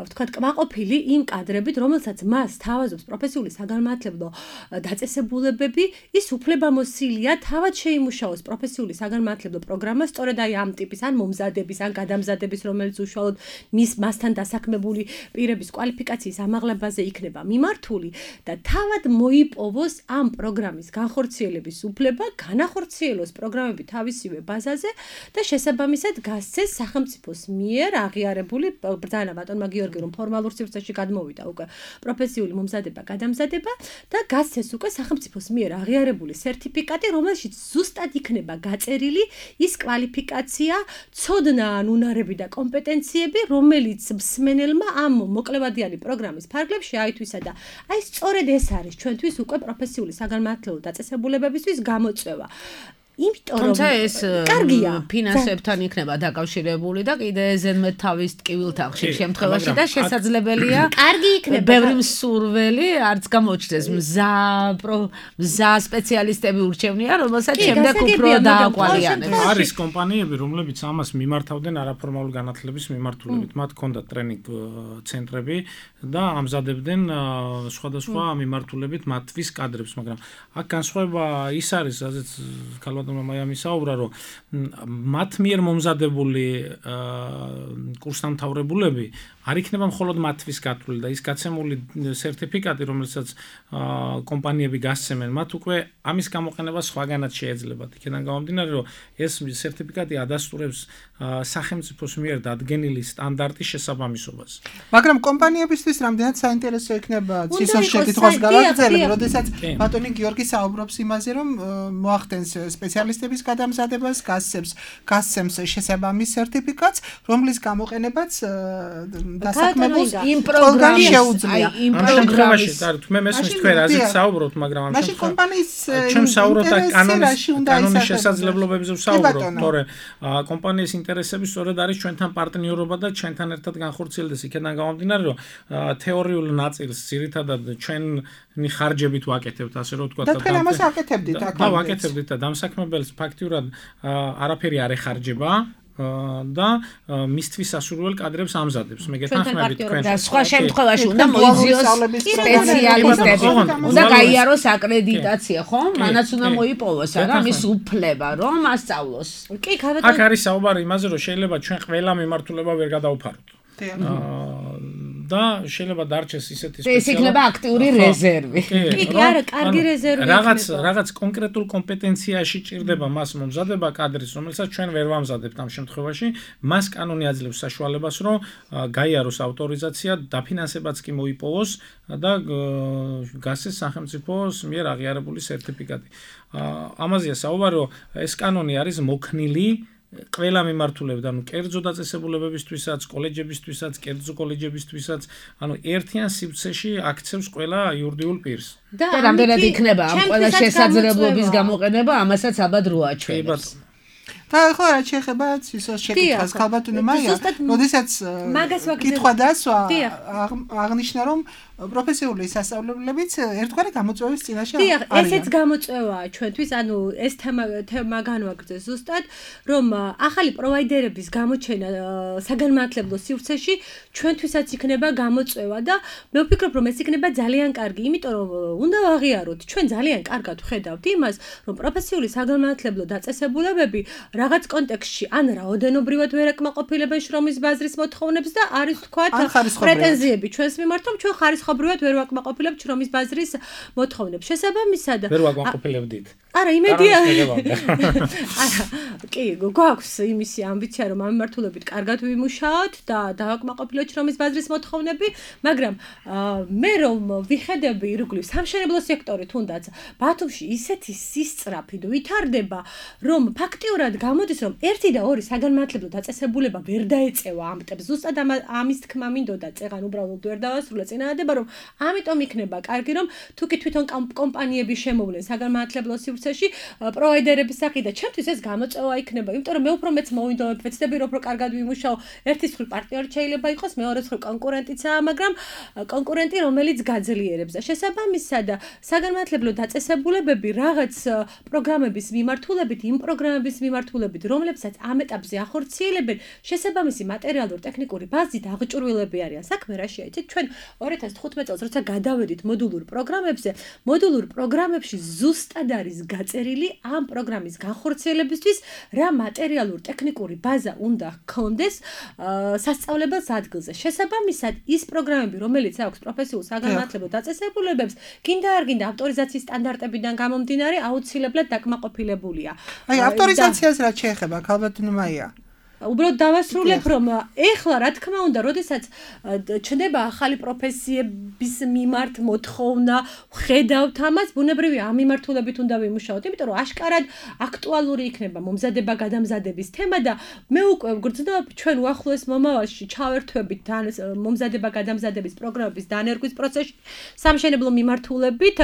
S5: ვთქვათ კმაყოფილი იმ კადრებით, რომელსაც მას თავაზობს პროფესიული საგანმანათლებლო დაწესებულებები, ის უფლებამოსილია თავად შეიმუშაოს პროფესიული საგანმანათლებლო პროგრამა სწორედ აი ამ ტიპის ან მომზადების ან გადამზადების, რომელიც უშუალოდ მასთან დასაქმებული პირების კვალიფიკაციის ამაღლებაზე იქნება მიმართული და თავად მოიპოვოს ამ პროგრამის განხორციელების უფლება, განახორციელოს პროგრამები თავისივე ბაზაზე და შესაბამისად გასცეს სახელმწიფოს მიერ აღიარებული ბრძანა ბატონმა გიორგი, რომ ფორმალურ სივრცეში გადმოვიდა უკვე პროფესიული მომზადება, გადამზადება და გასცეს უკვე სახელმწიფოს მიერ აღიარებული სერტიფიკატი, რომელშიც ზუსტად იქნება გაწერილი ის კვალიფიკაცია, ცოდნა ან უნარები და კომპეტენციები, რომელიც მსმენელმა ამ მოკლევადიანი პროგრამის ფარგლებში აითვისა და აი სწორედ ეს არის ჩვენთვის უკვე პროფესიული საგანმანათლებლო დაწესებულებებისთვის გამოწვევა. იმიტომ რომ
S2: ეს ფინანსებთან იქნება დაკავშირებული და კიდე ზედმეტ თავის ტკივილთან ხშირ შემთხვევაში და შესაძლებელია
S5: კარგი იქნება
S2: ბევრი მსურველი არც გამოჩნდეს მზა სპეციალისტები ურჩევნია, რომელსაც შემდეგ უფრო დააკვალიანებს.
S4: არის კომპანიები, რომლებიც ამას მიმართავდნენ არაფორმალურ განათლების მიმართულებით. მათ ჰქონდათ ტრენინგ ცენტრები და ამზადებდნენ სხვადასხვა მიმართულებით მათთვის კადრებს, მაგრამ აქ განსხვავება ის არის, რაზეც ქალბატონი ქალბატონმა მაიამი საუბრა, რომ მათ მიერ მომზადებული კურსდამთავრებულები არ იქნება მხოლოდ მათთვის გათვლილი და ის გაცემული სერტიფიკატი, რომელსაც კომპანიები გასცემენ, მათ უკვე ამის გამოყენება სხვაგანაც შეეძლებათ. იქიდან გამომდინარე, რომ ეს სერტიფიკატი ადასტურებს სახელმწიფოს მიერ დადგენილი სტანდარტის შესაბამისობას.
S3: მაგრამ კომპანიებისთვის რამდენად საინტერესო იქნება ცისოს შეკითხვას გავაგრძელებ, როდესაც ბატონი გიორგი საუბრობს იმაზე, რომ მოახდენს სპეციალისტების გადამზადებას, გასცემს შესაბამის სერტიფიკატს, რომლის გამოყენებაც დასაქმებულს იმ პროგრამაში შეუძლია.
S4: იმ პროგრამაში, მე მესმის თქვენ რაზეც საუბრობთ, მაგრამ ამ
S3: შემთხვევაში კომპანიის
S4: ჩვენ საუბრობთ კანონის შესაძლებლობებზე ვსაუბრობთ, თორე კომპანიის ინტერესები სწორედ არის ჩვენთან პარტნიორობა და ჩვენთან ერთად განხორციელდეს. იქიდან გამომდინარე, რომ თეორიულ ნაწილს ძირითადად ჩვენი ხარჯებით ვაკეთებთ, ასე რომ ვთქვათ,
S3: და თქვენ ამას აკეთებდით აქ.
S4: და ვაკეთებდით და დამსაქმებელს ფაქტიურად არაფერი არ ეხარჯება და მისთვის სასურველ კადრებს ამზადებს. მე გეთანხმებით თქვენ.
S2: და სხვა შემთხვევაში უნდა მოიძიოს სპეციალისტები, უნდა გაიაროს აკრედიტაცია, ხო? მანაც უნდა მოიპოვოს, არა მის უფლება, რომ ასწავლოს.
S5: კი, გავეტყვი.
S4: აქ არის საუბარი იმაზე, რომ შეიძლება ჩვენ ყველა მიმართულება ვერ გადავფაროთ. და შეიძლება დარჩეს ისეთი
S2: სპეციალისტები. ეს იქნება აქტიური რეზერვი.
S5: კი, არა, კარგი რეზერვი იქნება.
S4: რაღაც კონკრეტულ კომპეტენციაში ჭირდება მას მომზადება კადრის, რომელსაც ჩვენ ვერ ვამზადებთ ამ შემთხვევაში, მას კანონი აძლევს საშუალებას, რომ გაიაროს ავტორიზაცია, დაფინანსებაც კი მოიპოვოს და გასცეს სახელმწიფოს მიერ აღიარებული სერტიფიკატი. ამაზეა საუბარი, რომ ეს კანონი არის მოქნილი ყველა მიმართულებით, ანუ კერძო დაწესებულებებისთვისაც, კოლეჯებისთვისაც, კერძო კოლეჯებისთვისაც, ანუ ერთიან სივრცეში აქცევს ყველა იურიდიულ პირს.
S2: და რამდენად იქნება ამ ყველა შესაძლებლობის გამოყენება, ამასაც აბად რო აჩვენებს.
S3: და ხო რა შეეხება ცისოს შეკითხვას ქალბატონო მაია, როდესაც კითხვა დასვა აღნიშნა, რომ პროფესიული სასწავლებლებიც ერთგვარი გამოწვევის წინაშე
S5: არიან. ესეც გამოწვევაა ჩვენთვის, ანუ ეს თემა განვაგრძეს ზუსტად, რომ ახალი პროვაიდერების გამოჩენა საგანმანათლებლო სივრცეში ჩვენთვისაც იქნება გამოწვევა და მე ვფიქრობ, რომ ეს იქნება ძალიან კარგი, იმიტომ რომ უნდა ვაღიაროთ, ჩვენ ძალიან კარგად ვხედავთ იმას, რომ პროფესიული საგანმანათლებლო დაწესებულებები რაღაც კონტექსტში ან რაოდენობრივად ვერ აკმაყოფილებენ შრომის ბაზრის მოთხოვნებს და არის თქვათ პრეტენზიები ჩვენს მიმართ, რომ ჩვენ ხარისხობრივად ვერ ვაკმაყოფილებთ შრომის ბაზრის მოთხოვნებს. შესაბამისად
S4: ვერ ვაკმაყოფილებდით.
S5: არა, იმედია. არა, კი, გვაქვს იმისი ამბიცია, რომ ამ მიმართულებით კარგად ვიმუშაოთ და დავაკმაყოფილოთ შრომის ბაზრის მოთხოვნები, მაგრამ მე რომ ვიხედები ირგვლივ სამშენებლო სექტორი თუნდაც ბათუმში ისეთი სისწრაფით ვითარდება, რომ ფაქტიურად გამოდის, რომ 1 და 2 საგანმანათლებლო დაწესებულება ვერ დაეწევა ამ ტემპს. ზუსტად ამის თქმა მინდოდა წეგან უბრალოდ ვერ დავასრულე წინადადება, რომ ამიტომ იქნება კარგი, რომ თუ კი თვითონ კომპანიები შემოვლენ საგანმანათლებლო სივრცეში პროვაიდერების სახით და ჩემთვის ეს გამოწვევა იქნება, იმიტომ რომ მე უფრო მეც მოვინდომებ, ვეცდები რომ კარგად ვიმუშაო. ერთის მხრივ პარტნიორი შეიძლება იყოს, მეორეს მხრივ კონკურენტიცაა, მაგრამ კონკურენტი რომელიც გაძლიერებს და შესაბამისად საგანმანათლებლო დაწესებულებები რაღაც პროგრამების მიმართულებით, იმ პროგრამების მიმართულებით, რომლებსაც ამ ეტაპზე ახორციელებენ, შესაბამისი მატერიალურ-ტექნიკური ბაზით აღჭურვილები არიან. საქმე რა შეიცით? ჩვენ 2015 წელს როცა გადავედით მოდულურ პროგრამებზე, მოდულურ პროგრამებში ზუსტად არის გაწერილი ამ პროგრამის განხორციელებისთვის რა მატერიალურ-ტექნიკური ბაზა უნდა ჰქონდეს სასწავლებელს ადგილზე. შესაბამისად, ის პროგრამები, რომელიც აქვს პროფესიულ საგანმანათლებლო დაწესებულებებს, გინდა არ გინდა ავტორიზაციის სტანდარტებიდან გამომდინარე, აუცილებლად დაკმაყოფილებულია.
S3: აი, ავტორიზაციას რა შეეხება, ქალბატონო მაია?
S5: უბრალოდ დავასრულებ, რომ ეხლა რა თქმა უნდა, როდესაც ჩნდება ახალი პროფესიების მიმართ მოთხოვნა, ვხედავთ ამას, ბუნებრივია ამ მიმართულებით უნდა ვიმუშაოთ, იმიტომ რომ აშკარად აქტუალური იქნება მომზადება-გადამზადების თემა და მე უკვე ვგრძნობ ჩვენ უახლოეს მომავალში ჩავერთვებით მომზადება-გადამზადების პროგრამების დანერგვის პროცესში სამშენებლო მიმართულებით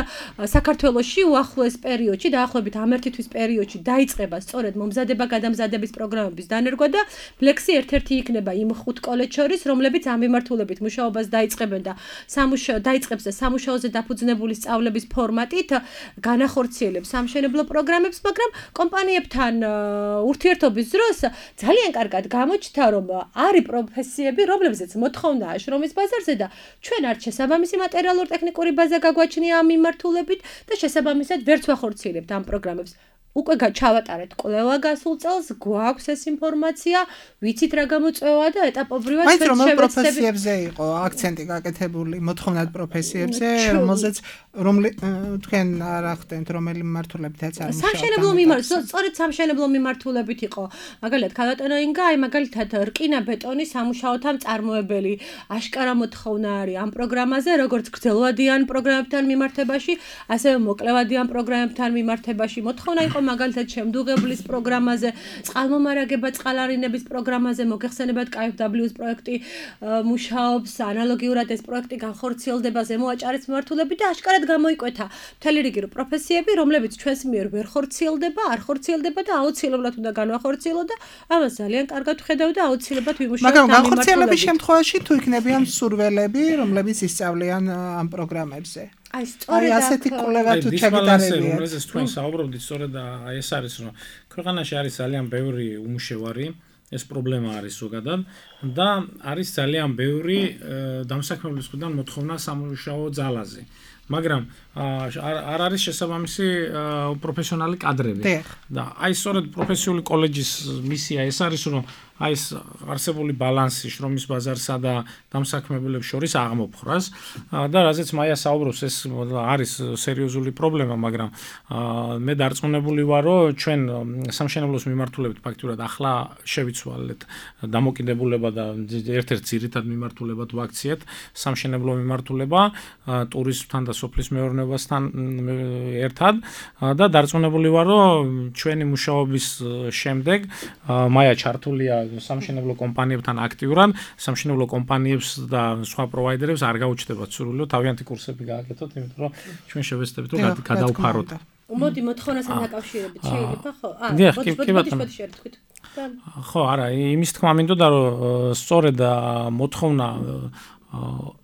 S5: საქართველოში უახლოეს პერიოდში, დაახლოებით ამ 1 თვის პერიოდში დაიწყება სწორედ მომზადება-გადამზადების პროგრამების დანერგვა და ფლექსი ერთ-ერთი იქნება იმ 5 კოლეჯს შორის, რომლებიც ამ მიმართულებით მუშაობას დაიწყებენ და დაიწყებს და სამუშაოზე დაფუძნებული სწავლების ფორმატით განახორციელებს სამშენებლო პროგრამებს, მაგრამ კომპანიებთან ურთიერთობის დროს ძალიან კარგად გამოჩნდა, რომ არის პროფესიები, რომლებზეც მოთხოვნაა შრომის ბაზარზე და ჩვენ არ შესაბამისი მატერიალურ-ტექნიკური ბაზა გაგვაჩნია ამ მიმართულებით და შესაბამისად ვერც ვახორციელებთ ამ პროგრამებს. უკვე ჩავატარეთ კვლევა გასულ წელს, გვაქვს ეს ინფორმაცია, ვიცით რა გამოწვევა და ეტაპობრივად
S3: ჩვენ შევეცდებით. მაგრამ პროფესიებზე იყო აქცენტი გაკეთებული, მოთხოვნად პროფესიებზე, რომელზეც თქვენ არა ხდენთ, რომელი მიმართულებითაც არ მუშაობთ.
S5: სამშენებლო მიმართულებით, სწორედ სამშენებლო მიმართულებით იყო. მაგალითად, ქალატონო ინგა, მაგალითად, რკინა ბეტონის სამუშაოთა მწარმოებელი, აშკარა მოთხოვნა არის ამ პროგრამაზე, როგორც გრძელვადიან პროგრამებთან მიმართებაში, ასევე მოკლევადიან პროგრამებთან მიმართებაში. მოთხოვნა იყო მაგალითად შემდუღებლის პროგრამაზე, წყალმომარაგება წყალარინების პროგრამაზე, მოგეხსენებათ KfW-ს პროექტი მუშაობს, ანალოგიურად ეს პროექტი განხორციელდება ზემოაჭარის მიმართულებით და აშკარად გამოიკვეთა მთელი რიგი პროფესიები, რომლებიც ჩვენს მიერ ვერ ხორციელდება, არ ხორციელდება და აუცილებლად უნდა განვახორციელო და ამას ძალიან კარგად ვხედავ და აუცილებლად ვიმუშაოთ.
S3: მაგრამ განხორციელების შემთხვევაში თუ იქნებიან მსურველები, რომლებიც ისწავლიან ამ პროგრამებზე.
S5: აი სწორედ
S3: ასეთი კვლევა თუ ჩაგიტარებია.
S4: რომელზეც თქვენ საუბრობდით, სწორედ ეს არის, რომ ქვეყანაში არის ძალიან ბევრი უმუშევარი, ეს პრობლემა არის ზოგადად და არის ძალიან ბევრი დამსაქმებლის მხრიდან მოთხოვნა სამუშაო ძალაზე. მაგრამ არ არის შესაბამისი პროფესიონალი კადრები. და აი სწორედ პროფესიული კოლეჯის მისია ეს არის, რომ აი ეს არსებული ბალანსი შრომის ბაზარსა და დამსაქმებელებს შორის აღმოფხვრას და რაზეც მაია საუბრობს, ეს არის სერიოზული პრობლემა, მაგრამ მე დარწმუნებული ვარ, რომ ჩვენ სამშენებლოს მიმართულებით ფაქტურად ახლა შევიცვალეთ დამოკიდებულება და ერთ-ერთ ძირითად მიმართულებად ვაქციეთ სამშენებლო მიმართულება ტურიზმთან და სოფლის მეურნეობასთან ერთად და დარწმუნებული ვარ, რომ ჩვენი მუშაობის შემდეგ მაია ჩართულია სამშენებლო კომპანიებთან აქტიურად, სამშენებლო კომპანიებს და სხვა პროვაიდერებს არ გაუჩნდებათ სურვილო თავიანთი კურსები გააკეთოთ, იმიტომ რომ ჩვენ შევეცდებით რომ გადავფაროთ.
S5: მოდი მოთხოვნასთან დაკავშირებით შეიძლება ხო?
S4: მოდი შევთქვით. ხო, არა, იმის თქმა მინდოდა, რომ სწორედ მოთხოვნა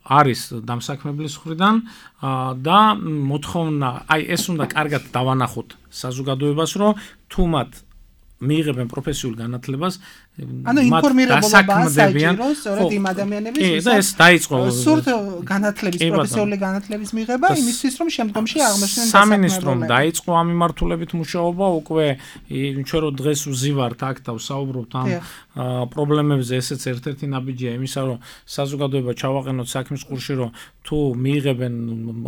S4: არის დამსაქმებლის მხრიდან და მოთხოვნა, აი ეს უნდა კარგად დავანახოთ საზოგადოებას, რომ თუ მათ მიიღებენ პროფესიულ განათლებას,
S3: ანუ ინფორმირებულობაა საჭირო სწორედ იმ ადამიანების,
S4: და ეს დაიწყო
S3: სურთ განათლების, პროფესიული განათლების მიღება იმისთვის, რომ შემდგომში აღმოჩნდნენ
S4: სამინისტრომ დაიწყო ამ მიმართულებით მუშაობა, უკვე ჩვენ რო დღეს ვზივართ აქ და ვსაუბრობთ ამ პრობლემებზე, ესეც ერთ-ერთი ნაბიჯია იმისა, რომ საზოგადოება ჩავაყენოთ საქმის კურსში, რომ თუ მიიღებენ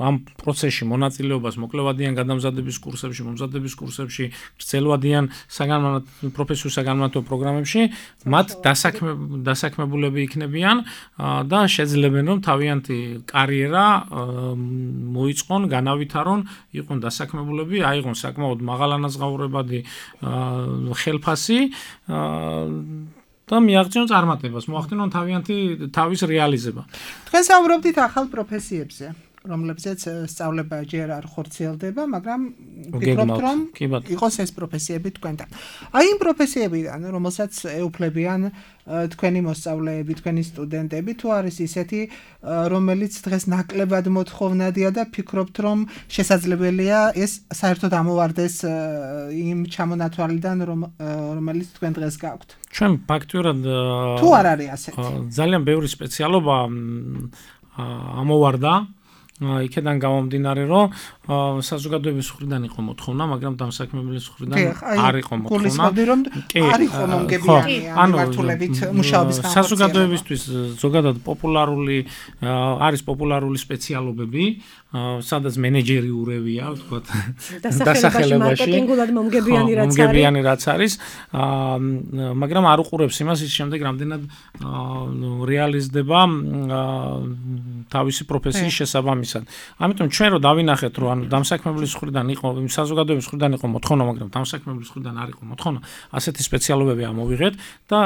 S4: ამ პროცესში მონაწილეობას მოკლევადიან გადამზადების კურსებში, მომზადების კურსებში, გრძელვადიან პროფესიულ საგანმანათლებლო პროგრამებში, მათ დასაქმებულები იქნებიან და შეძლებენ რომ თავიანთი კარიერა მოიწყონ, განავითარონ, იყვნენ დასაქმებულები, აიღონ საკმაოდ მაღალანაზღაურებადი ხელფასი და მიაღწიონ წარმატებას, მოახდინონ თავიანთი თავის რეალიზება.
S3: თქვენ საუბრობდით ახალ პროფესიებზე, რომლებზეც სწავლება ჯერ არ ხორციელდება, მაგრამ ვფიქრობთ, რომ იყოს ეს პროფესიები თქვენთან. აი იმ პროფესიებიდან, რომელსაც ეუფლებიან თქვენი მოსწავლეები, თქვენი სტუდენტები, თუ არის ისეთი, რომელიც დღეს ნაკლებად მოთხოვნადია და ფიქრობთ, რომ შესაძლებელია ეს საერთოდ ამოვარდეს იმ ჩამონათვალიდან, რომელიც თქვენ დღეს გაქვთ.
S4: ჩვენ ფაქტურად
S3: თუ არ არის ასეთი.
S4: ძალიან ბევრი სპეციალობა ამოვარდა. იქედან გამომდინარე, რომ საზოგადოების მხრიდან იყო მოთხოვნა, მაგრამ დამსაქმებლის მხრიდან არ იყო მოთხოვნა.
S3: არ იყო მომგებიანი ამ მიმართულებით მუშაობის განხორციელება.
S4: საზოგადოებისთვის ზოგადად არის პოპულარული სპეციალობები, სადაც მენეჯერიურებია, ვთქვათ,
S5: დასახელებაში მარკეტინგულად
S4: მომგებიანი რაც არის, მაგრამ არ უყურებს იმას, ის შემდეგ რამდენად რეალიზდება თავისი პროფესიის შესაბამისად. ამიტომ ჩვენ რო დავინახეთ, რომ ანუ დამსაქმებლის მხრიდან იყო, საზოგადოების მხრიდან იყო მოთხოვნა, მაგრამ დამსაქმებლის მხრიდან არ იყო მოთხოვნა, ასეთი სპეციალობები ამოვიღეთ და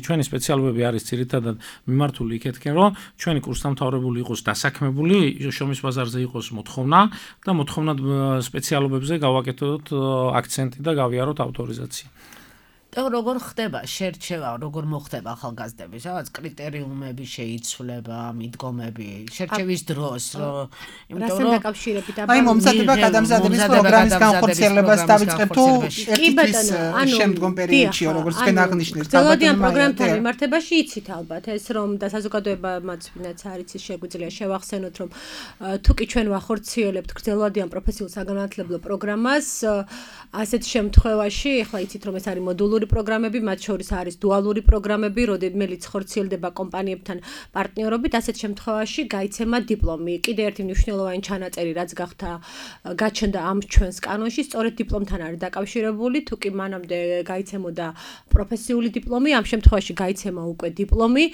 S4: ჩვენი სპეციალობები არის ძირითადად მიმართული იქეთკენ, რომ ჩვენი კურსდამთავრებული იყოს დასაქმებული, შრომის ბაზარზე იყოს მოთხოვნა და მოთხოვნად სპეციალობებზე გავაკეთოთ აქცენტი და გავიაროთ ავტორიზაცია.
S2: და როგორ ხდება შერჩევა, როგორ მოხდება ახალგაზრდების, რაღაც კრიტერიუმები შეიცვლება, მიდგომები, შერჩევის დროს,
S5: იმიტომ რომ დაკავშირებით
S3: აი მომზადება გადამზადების პროგრამის განხორციელებას დავიწყებ თუ ერთის შემდგომ პერიოდში როგორც თქვენ აღნიშნეთ
S5: გრძელვადიან პროგრამთან მიმართებაში იცით ალბათ ეს რომ და საზოგადოებამაც ვინაც არის ის შეგვიძლია შევახსენოთ რომ თუ კი ჩვენ ვახორციელებთ გრძელვადიან პროფესიულ საგანმანათლებლო პროგრამას ასეთ შემთხვევაში ახლა იცით რომ ეს არის მოდულური პროგრამები მათ შორის არის დუალური პროგრამები რომელიც ხორციელდება კომპანიებთან პარტნიორობით ასეთ შემთხვევაში გაიცემა დიპლომი კიდე ერთი მნიშვნელოვანი ჩანაწერი რაც გაჩნდა ამ ჩვენს კანონში სწორედ დიპლომთან არის დაკავშირებული თუ კი მანამდე გაიცემოდა პროფესიული დიპლომი ამ შემთხვევაში გაიცემა უკვე დიპლომი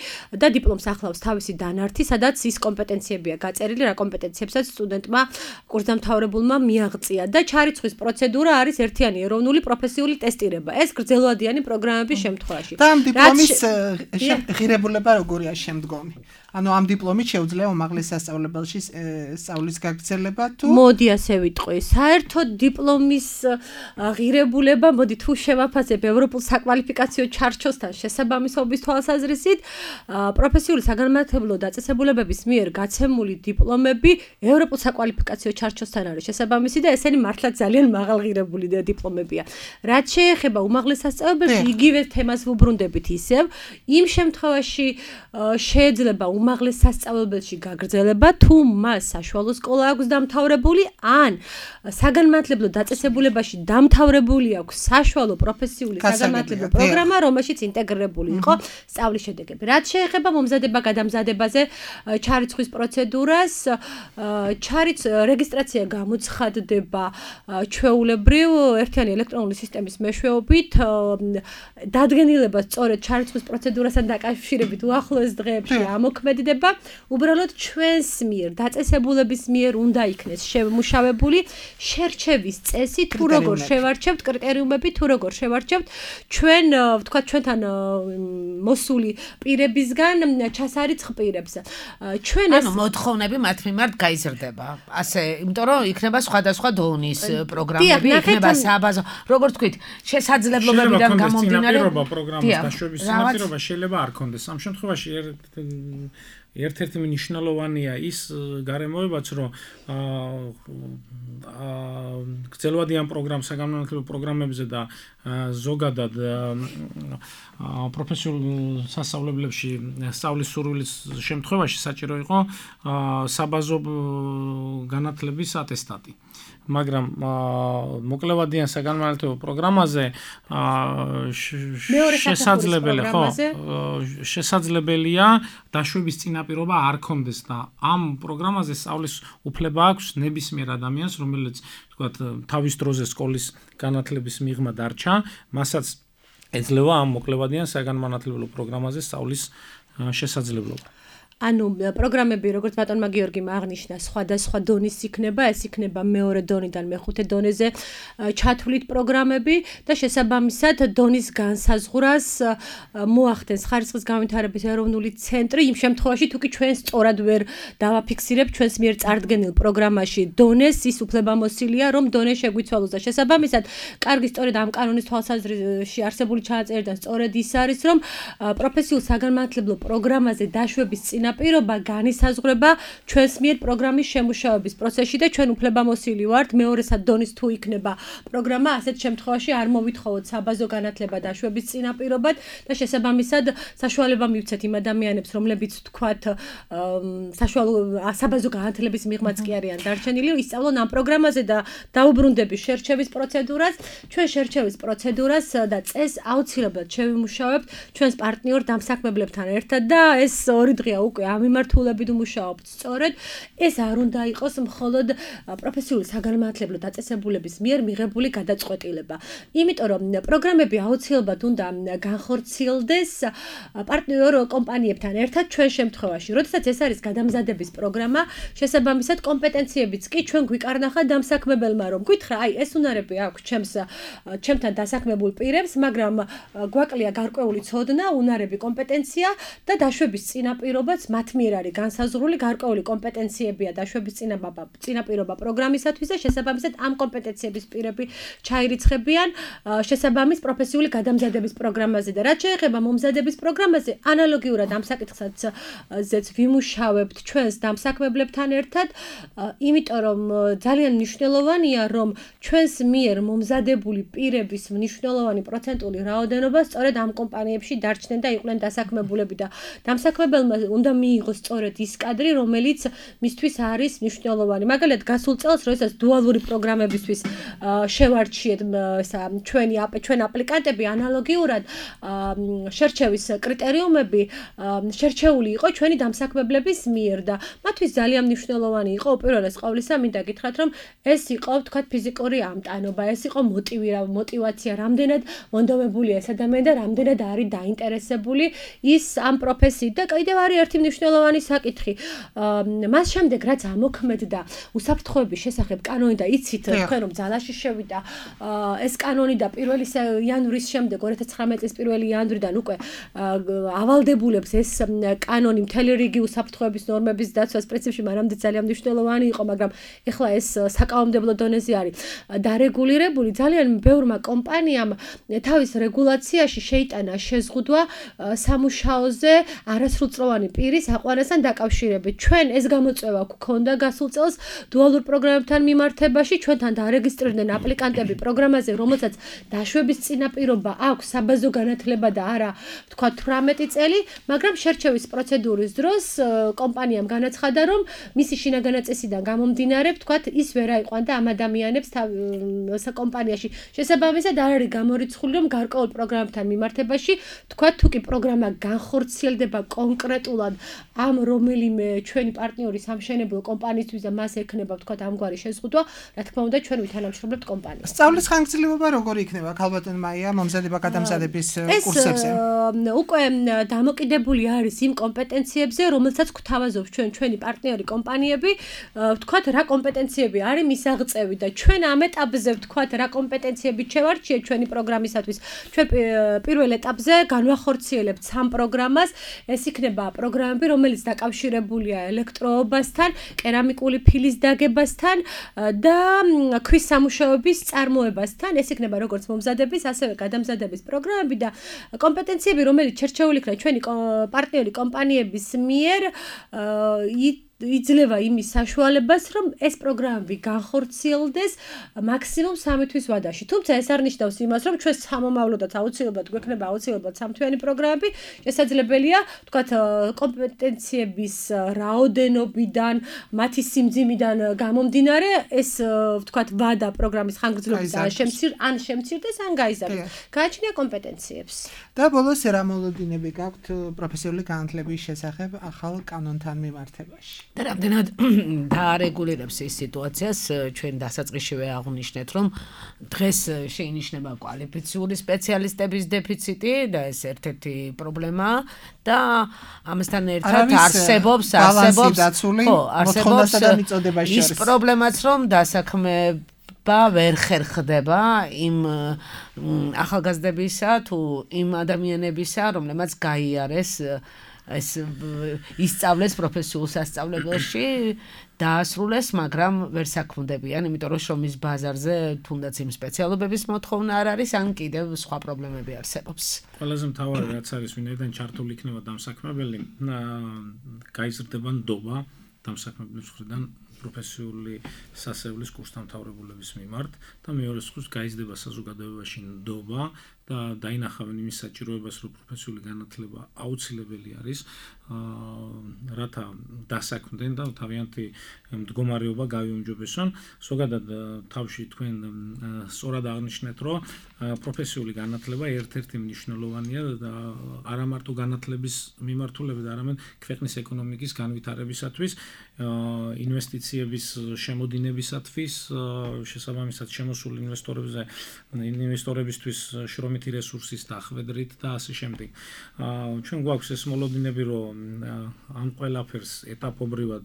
S5: და დიპლომს ახლავს თავისი დანართი სადაც ის კომპეტენციებია გაწერილი რა კომპეტენციებსაც სტუდენტმა კურსდამთავრებულმა მიაღწია და ჩარიცხვის პროცედურა არის ერთიანი ეროვნული პროფესიული ტესტირება ეს გრძელვადიანი პროგრამების შემთხვევაში
S3: და ამ დიპლომის ღირებულება როგორია შემდგომი ანუ ამ დიპლომით შეუძლია უმაღლეს სასწავლებელში სწავლის გაგრძელება თუ
S5: მოდი ასე ვიტყვი საერთოდ დიპლომის ღირებულება მოდი თუ შევაფასებ ევროპულ საკვალიფიკაციო ჩარჩოსთან შესაბამისობის თვალსაზრისით პროფესიული საგანმანათლებლო დაწესებულებების მიერ გაცემული დიპლომები ევროპულ საკვალიფიკაციო ჩარჩოსთან არის შესაბამისი და ესენი მართლაც ძალიან მაღალღირებული დიპლომებია რაც შეეხება უმაღლეს სასწავლებელში იგივე თემას ვუბრუნდებით ისევ იმ შემთხვევაში შეიძლება უმაღლეს სასწავლებელში გაგრძელება თუ მას საშუალო სკოლა აქვს დამთავრებული ან საგანმანათლებლო დაწესებულებაში დამთავრებული აქვს საშუალო პროფესიული საგანმანათლებლო პროგრამა რომელშიც ინტეგრირებული იყო სწავლის შედეგები რაც შეეხება მომზადება გადამზადებაზე ჩარიცხვის პროცედურას რეგისტრაცია გამოცხადდება ჩვეულებრივ ერთიანი ელექტრონული სისტემის მეშვეობით დადგენილება სწორედ ჩარიცხვის პროცედურასთან დაკავშირებით უახლოეს დღეებში ამოქმედდება უბრალოდ ჩვენს მიერ დაწესებულების მიერ უნდა იქნეს შემუშავებული შერჩევის წესი თუ როგორ შევარჩევთ კრიტერიუმები თუ როგორ შევარჩევთ ჩვენ ვთქვათ ჩვენთან მოსული პირებისგან ჩასარიცხ პირებს ჩვენ ეს
S2: მოთხოვნები მათ მიმართ გაიზრდება ასე იმიტომ რომ იქნება სხვადასხვა დონის პროგრამები იქნება საბაზო როგორც თქვით შესაძლებლობებიდან გამომდინარე
S4: პროგრამის დაშვების წინაპირობა შეიძლება არ ქონდეს ამ შემთხვევაში ერთ-ერთი მნიშვნელოვანია ის გარემოებაც რომ გრძელვადიან საგანმანათლებლო პროგრამებზე და ზოგადად პროფესიულ სასწავლებლებში სწავლის სურვილის შემთხვევაში საჭირო იყო საბაზო განათლების ატესტატი მაგრამ მოკლევადიან საგანმანათლებლო პროგრამაზე შესაძლებელია დაშვების წინაპირობა არ ქონდეს და ამ პროგრამაზე სწავლის უფლება აქვს ნებისმიერ ადამიანს რომელიც თქვათ თავის დროზე სკოლის განათლების მიღმა დარჩა მასაც ეძლევა ამ მოკლევადიან საგანმანათლებლო პროგრამაზე სწავლის შესაძლებლობა
S5: ანუ პროგრამები როგორც ბატონმა გიორგიმ აღნიშნა სხვადასხვა დონის იქნება ეს იქნება მეორე დონიდან მეხუთე დონეზე ჩათვლით პროგრამები და შესაბამისად დონის განსაზღვრას მოახდენს ხარისხის განვითარების ეროვნული ცენტრი იმ შემთხვევაში თუ კი ჩვენ სწორად ვერ დავაფიქსირებთ ჩვენს მიერ წარდგენილ პროგრამაში დონეს ის უფლებამოსილია რომ დონე შეგვიცვალოს და შესაბამისად კარგი სწორედ ამ კანონის თვალსაზრისში არსებული ჩანაწერიდან სწორედ ის არის რომ პროფესიულ საგანმანათლებლო პროგრამაზე დაშვების პირობა განისაზღვრება ჩვენს მიერ პროგრამის შემუშავების პროცესში და ჩვენ უფლებამოსილი ვართ მეორესად დონის თუ იქნება პროგრამა ასეთ შემთხვევაში არ მოვითხოვოთ საბაზო განათლება დაშვების წინაპირობად და შესაბამისად საშუალება მივცეთ იმ ადამიანებს რომლებიც თქვათ საშუალო საბაზო განათლების მიღმაც კი არიან დარჩენილი ისწავლონ ამ პროგრამაზე და დაუბრუნდები შერჩევის პროცედურას ჩვენ შერჩევის პროცედურას და წესს აუცილებლად შევიმუშავებთ ჩვენს პარტნიორ დამსაქმებლებთან ერთად და ეს 2 დღეა უკვე ამ მიმართულებით ვმუშაობთ სწორედ ეს არ უნდა იყოს მხოლოდ პროფესიული საგანმანათლებლო დაწესებულების მიერ მიღებული გადაწყვეტილება იმიტომ რომ პროგრამები აუცილებლად უნდა განხორციელდეს პარტნიორ კომპანიებთან ერთად ჩვენ შემთხვევაში როდესაც ეს არის გადამზადების პროგრამა შესაბამისად კომპეტენციებიც კი ჩვენ გვიკარნახა დამსაქმებელმა რომ გითხრა აი ეს უნარები აქვს ჩემთან დასაქმებულ პირებს მაგრამ გვაკლია გარკვეული ცოდნა უნარები კომპეტენცია და დაშვების წინაპირობაც მათ მიერ არის განსაზღვრული გარკვეული კომპეტენციებია დაშვების წინაპირობა პროგრამისათვის და შესაბამისად ამ კომპეტენციების პირები ჩაირიცხებიან შესაბამის პროფესიული გადამზადების პროგრამაზე და რაც შეეხება მომზადების პროგრამაზე ანალოგიურად ამ საკითხსაც ვიმუშავებთ ჩვენს დამსაქმებლებთან ერთად იმიტომ რომ ძალიან მნიშვნელოვანია რომ ჩვენს მიერ მომზადებული პირების მნიშვნელოვანი პროცენტული რაოდენობა სწორედ ამ კომპანიებში დარჩნენ და იყვნენ დასაქმებულები და დამსაქმებელმა უნდა მიიღოს სწორედ ის კადრი რომელიც მისთვის არის მნიშვნელოვანი მაგალითად გასულ წელს როდესაც დუალური პროგრამებისთვის შევარჩიეთ ჩვენ აპლიკანტები ანალოგიურად შერჩევის კრიტერიუმები შერჩეული იყო ჩვენი დამსაქმებლების მიერ და მათთვის ძალიან მნიშვნელოვანი იყო უპირველეს ყოვლისა მინდა გითხრათ რომ ეს იყო თქვათ ფიზიკური ამტანობა ეს იყო мотивация რამდენად მონდომებულია ეს ადამიანი და რამდენად არის დაინტერესებული ის ამ პროფესიით და კიდევ არის ერთი მნიშვნელოვანი საკითხი მას შემდეგ რაც ამოქმედდა უსაფრთხოების შესახებ კანონი და იცით თქვენ რომ ძალაში შევიდა ეს კანონი და 1 იანვრის შემდეგ 2019 წლის 1 იანვრიდან უკვე ავალდებულებს ეს კანონი მთელი რიგი უსაფრთხოების ნორმების დაცვას პრინციპში მანამდე ძალიან მნიშვნელოვანი იყო მაგრამ ეხლა ეს საკანონმდებლო დონეზე არის დარეგულირებული ძალიან ბევრმა კომპანიამ თავის რეგულაციაში შეიტანა შეზღუდვა სამუშაოზე არასრულწლოვანი პირის აყვანასთან დაკავშირებით ჩვენ ეს გამოწვევა გვქონდა გასულ წელს დუალურ პროგრამებთან მიმართებაში ჩვენთან დარეგისტრირდნენ აპლიკანტები პროგრამაზე რომელსაც დაშვების წინაპირობა აქვს საბაზო განათლება და არა თქვა 18 წელი მაგრამ შერჩევის პროცედურის დროს კომპანიამ განაცხადა რომ მისი შინაგანი წესიდან გამომდინარე თქვა ის ვერ აიყვანდა ამ ადამიანებს კომპანიაში შესაბამისად არ არის გამორიცხული რომ გარკვეულ პროგრამებთან მიმართებაში თქვა თუ კი პროგრამა განხორციელდება კონკრეტულად ამ რომელიმე ჩვენი პარტნიორის სამშენებლო კომპანიისთვის და მას ექნება თქვა ამგვარი შეზღუდვა რა თქმა უნდა ჩვენ ვითანამშრომლებთ კომპანიას
S3: სწავლის ხანგრძლივობა როგორი იქნება ქალბატონ მაია მომზადება გადამზადების კურსებზე
S5: უკვე დამოკიდებული არის იმ კომპეტენციებზე რომელსაც გვთავაზობს ჩვენი პარტნიორი კომპანიები ვთქვათ რა კომპეტენციები არის მისაღწევი და ჩვენ ამ ეტაპზე ვთქვათ რა კომპეტენციები შევარჩიეთ ჩვენი პროგრამისათვის ჩვენ პირველ ეტაპზე განვახორციელებთ სამ პროგრამას ეს იქნება პროგრამები რომელიც დაკავშირებულია ელექტროობასთან კერამიკული ფილის დაგებასთან და ქვის სამუშაოების წარმოებასთან ეს იქნება როგორც მომზადების ასევე გადამზადების პროგრამები და კომპეტენციები რომელიც შერჩეული იქნება ჩვენი პარტნიორი კომპანიების მიერ იძლევა იმის საშუალებას, რომ ეს პროგრამები განხორციელდეს მაქსიმუმ 3 თვის ვადაში. თუმცა ეს არ ნიშნავს იმას, რომ ჩვენ სამომავლოდაც აუცილებლად გვექნება აუცილებლად სამთვიანი პროგრამები. შესაძლებელია, თქვათ, კომპეტენციების რაოდენობიდან, მათი სიმძიმიდან გამომდინარე, ეს თქვათ, ვადა პროგრამის ხანგრძლივობის ან შემცირდეს, ან გაიზარდეს. გააჩნია კომპეტენციებს.
S3: და ბოლოს რა მოლოდინები გაქვთ პროფესიული განათლების შესახებ ახალ კანონთან მიმართებაში?
S2: და რამდენად დაარეგულირებს ეს სიტუაციას ჩვენ დასაწყისშივე აღვნიშნეთ რომ დღეს შეინიშნება კვალიფიციური სპეციალისტების დეფიციტი და ეს ერთ-ერთი პრობლემაა და ამასთან ერთად არსებობს ის პრობლემაც რომ დასაქმება ვერ ხერხდება იმ ახალგაზრდებისა თუ იმ ადამიანებისა რომლებმაც გაიარეს ეს ისწავლეს პროფესიულ სასწავლებელში დაასრულეს, მაგრამ ვერ საქმდებიან, იმიტომ რომ შრომის ბაზარზე თუნდაც იმ სპეციალობების მოთხოვნა არ არის, ან კიდევ სხვა პრობლემები არსებობს.
S4: ყველაზე მთავარი რაც არის, ვინაიდან ჩართული იქნება დამსაქმებელი, გაიზრდება ნდობა დამსაქმებლების მხრიდან პროფესიული სასწავლებლის კურსდამთავრებულების მიმართ და მეორე მხრივ გაიზრდება საზოგადოებაში ნდობა და დაინახავენ იმის საჭიროებას, რომ პროფესიული განათლება აუცილებელი არის, რათა დასაქმდნენ და თავიანთი მდგომარეობა გავიუმჯობესონ. ზოგადად თავში თქვენ სწორად აღნიშნეთ, რომ პროფესიული განათლება ერთ-ერთი მნიშვნელოვანია და არა მარტო განათლების მიმართულებით, არამედ ქვეყნის ეკონომიკის განვითარებისათვის, ინვესტიციების შემოდინებისათვის, შესაბამისად შემოსულ ინვესტორებისთვის შრომითი რესურსის დახვედრით და ასე შემდეგ. ჩვენ გვაქვს ეს მოლოდინები, რომ ამ ყველაფერს ეტაპობრივად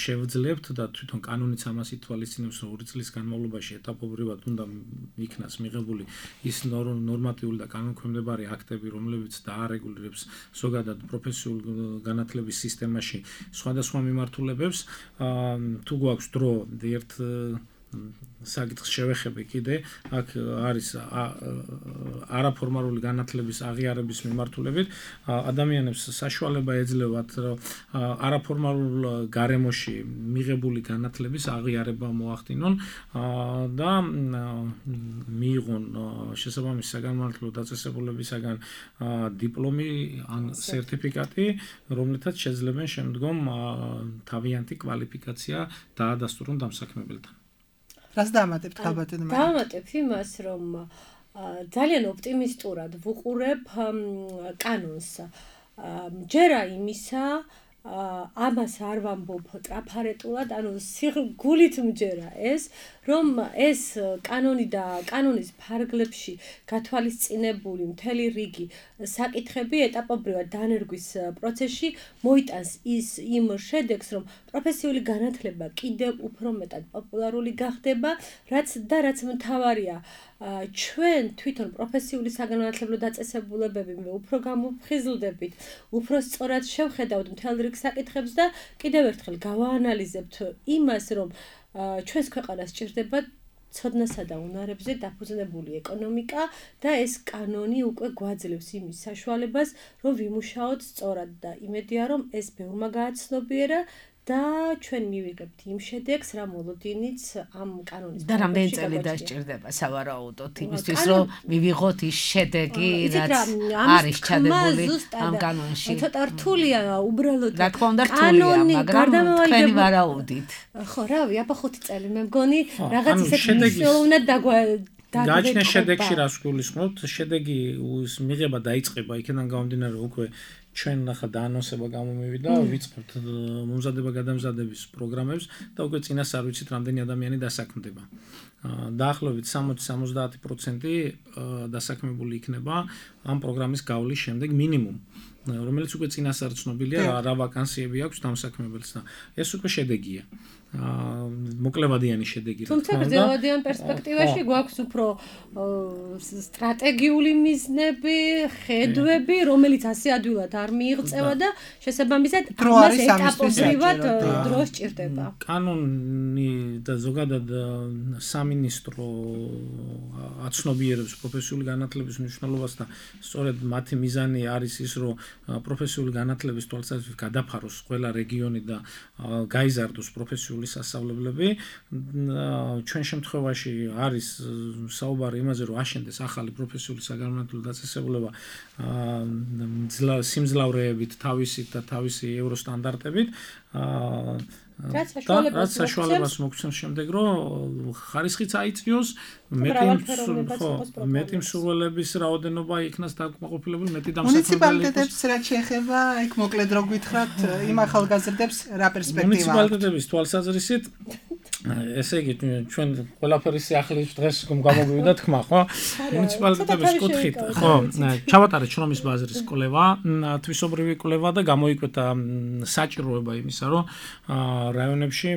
S4: შევძლებთ და თვითონ კანონიც ამას ითვალისწინებს, რომ 2 წლის განმავლობაში ეტაპობრივად უნდა იქნას მიღებული ის ნორმატიული და კანონქვემდებარე აქტები, რომლებიც დაარეგულირებს ზოგადად პროფესიულ განათლების სისტემაში სხვადასხვა მიმართულებებს. თუ გვაქვს დრო ერთ საკითხს შევეხები კიდე, აქ არის არაფორმალური განათლების აღიარების მიმართულებით ადამიანებს საშუალება ეძლევათ არაფორმალურ გარემოში მიღებული განათლების აღიარება მოახდინონ და მიიღონ შესაბამისი საგანმანათლებლო დაწესებულებისაგან დიპლომი ან სერტიფიკატი, რომლითაც შეძლებენ შემდგომ თავიანთი კვალიფიკაცია დაადასტურონ დამსაქმებელთან.
S3: რას დაამატებთ ხალბატონო?
S5: დაამატებ იმას, რომ ძალიან ოპტიმისტურად ვუყურებ კანონს. ჯერა იმისა, ამას არ ვამბობ ტრაფარეტულად, ანუ გულით მჯერა ეს, რომ ეს კანონი და კანონის ფარგლებში გათვალისწინებული მთელი რიგი საკითხები ეტაპობრივად დანერგვის პროცესში მოიტანს იმ შედეგს, რომ პროფესიული განათლება კიდევ უფრო მეტად პოპულარული გახდება, რაც მთავარია, ჩვენ თვითონ პროფესიული საგანმანათლებლო დაწესებულებები უფრო გამოფხიზლდებით, უფრო სწორად შევხედავთ მთელ რიგ საკითხებს და კიდევ ერთხელ გავაანალიზებთ იმას, რომ ჩვენს ქვეყანას სჭირდება ცოდნასა და უნარებზე დაფუძნებული ეკონომიკა და ეს კანონი უკვე გვაძლევს იმის საშუალებას, რომ ვიმუშაოთ სწორად და იმედია, რომ ეს ბევრმა გააცნობიერა და ჩვენ მივიღებთ იმ შედეგს, რა მოლოდინიც ამ კანონის
S2: და რამდენი წელი დასჭირდება სავარაუდოდ იმისთვის, რომ მივიღოთ ის შედეგი, რაც არის ჩადებული ამ კანონში.
S5: ცოტა რთულია უბრალოდ
S2: რა თქმა უნდა რთულია, მაგრამ თქვენი ვარაუდით.
S5: ხო, რავი, აბა 5 წელი მე მგონი რაღაც ისეთ მნიშვნელოვნად
S4: გაჩნდა შედეგში რას გულისხმობთ? შედეგი მიღება დაიწყება იქიდან გამომდინარე უკვე ჩვენ ნახა დაანონსება გამომივიდა, ვიწყებთ მომზადება-გადამზადების პროგრამებს და უკვე წინას არ ვიცით რამდენი ადამიანი დასაქმდება. დაახლოებით 60-70% დასაქმებული იქნება ამ პროგრამის გავლის შემდეგ მინიმუმ, რომელიც უკვე წინას არ ცნობილია რა ვაკანსიები აქვს დამსაქმებელს და ეს უკვე შედეგია. მოკლევადიანი შედეგი.
S5: თუმცა გრძელვადიან პერსპექტივაში გვაქვს უფრო სტრატეგიული მიზნები, ხედვები, რომელიც ასე ადვილად არ მიიღწევა და შესაბამისად ამას ეტაპობრივად დრო სჭირდება.
S4: კანონი და ზოგადად სამინისტრო აცნობიერებს პროფესიული განათლების მნიშვნელობას და სწორედ მათი მიზანი არის ის, რომ პროფესიული განათლების თვალსაზრისით გადაფაროს ყველა რეგიონი და გაიზარდოს პროფესიული სასწავლებლები. ჩვენ შემთხვევაში არის საუბარი იმაზე, რომ აშენდეს ახალი პროფესიული საგანმანათლებლო დაწესებულება სიმძლავრეებით, თავისით და თავისი ევროსტანდარტებით. რაც საშუალებას მოგცემს შემდეგ, რომ ხარისხიც აიწვიოს, მეტი მსურველების რაოდენობა იქნას დაკმაყოფილებული, მეტი დამსაქმებელი.
S3: მუნიციპალიტეტებს რაც შეეხება, იქ მოკლედ რო გითხრათ, იმ ახალგაზრდებს რა პერსპექტივა აქვს?
S4: მუნიციპალიტეტების თვალსაზრისით ესე იგი ჩვენ ყველაფერი ახლის დღეს გამოგვივიდა თქმა, ხო? მუნიციპალიტეტების კუთხით, ხო, ჩავატარეთ შრომის ბაზრის კვლევა, თვისობრივი კვლევა და გამოიკვეთა საჭიროება იმისა, რომ რაიონებში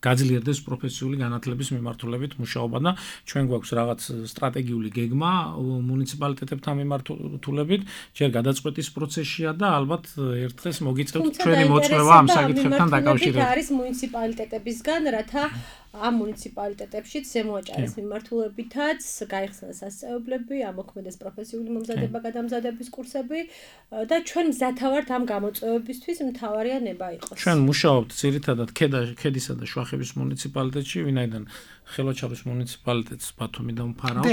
S4: გაძლიერდეს პროფესიული განათლების მიმართულებით მუშაობა და ჩვენ გვაქვს რაღაც სტრატეგიული გეგმა მუნიციპალიტეტებთან მიმართულებით, ჯერ გადაწყვეტის პროცესშია და ალბათ ერთ დღეს მოგიწევთ ჩვენი მოწვევა ამ საკითხებთან დაკავშირებით.
S5: არის მუნიციპალიტეტებისგან, რათა ამ მუნიციპალიტეტებშიც ზემოაჭარის მიმართულებითაც გაიხსნას სასწავლებლები, ამოქმედდეს პროფესიული მომზადება-გადამზადების კურსები და ჩვენ მზათავართ ამ გამოწვევებისთვის მთავარია ნება იყოს.
S4: ჩვენ მუშაობთ ძირითადად ქედისა და შუახევის მუნიციპალიტეტში, ვინაიდან ხელოჩარის მუნიციპალიტეტს ბათუმიდან ვფარავთ.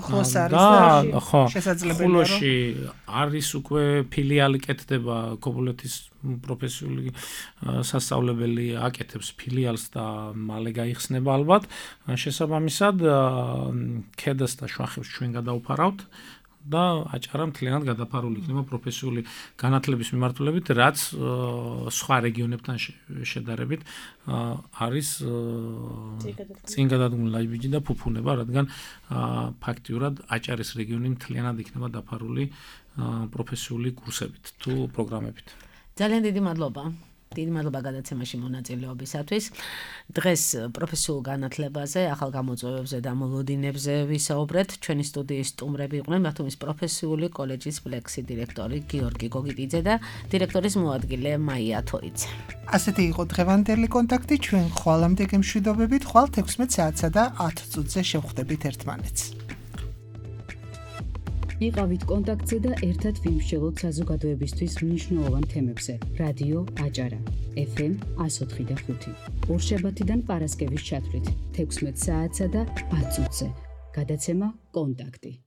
S3: ახლოს არის და შესაძლებელია რომ
S4: ხულოში არის უკვე ფილიალი კეთდება ქობულეთის პროფესიული სასწავლებელი აკეთებს ფილიალს და მალე გაიხსნება ალბათ. შესაბამისად ქედას და შუახევს ჩვენ გადავფარავთ და აჭარა მთლიანად გადაფარული იქნება პროფესიული განათლების მიმართულებით, რაც სხვა რეგიონებთან შედარებით არის წინ გადადგმული ლაიბიჯი და ფუფუნება, რადგან ფაქტიურად აჭარის რეგიონი მთლიანად იქნება დაფარული პროფესიული კურსებით თუ პროგრამებით.
S2: ძალიან დიდი მადლობა. დიდი მადლობა გადაცემაში მონაწილეობისათვის. დღეს პროფესიულ განათლებაზე, ახალ გამოწვევებზე და მოლოდინებზე ვისაუბრეთ. ჩვენი სტუდიის სტუმრები იყვნენ ბათუმის პროფესიული კოლეჯის ფლექსი დირექტორი გიორგი გოგიტიძე და დირექტორის მოადგილე მაია თოიძე.
S3: ასეთი იყო დღევანდელი კონტაქტი. ჩვენ ხვალამდე გემშვიდობებით, ხვალ 16 საათსა და 10 წუთზე შევხვდებით ერთმანეთს.
S1: იყავით კონტაქტზე და ერთად ვიმსჯელოთ საზოგადოებისთვის მნიშვნელოვან თემებზე. რადიო აჭარა FM 104.5. ორშაბათიდან პარასკევის ჩათვლით 16 საათსა და 10 წუთზე. გადაცემა კონტაქტი.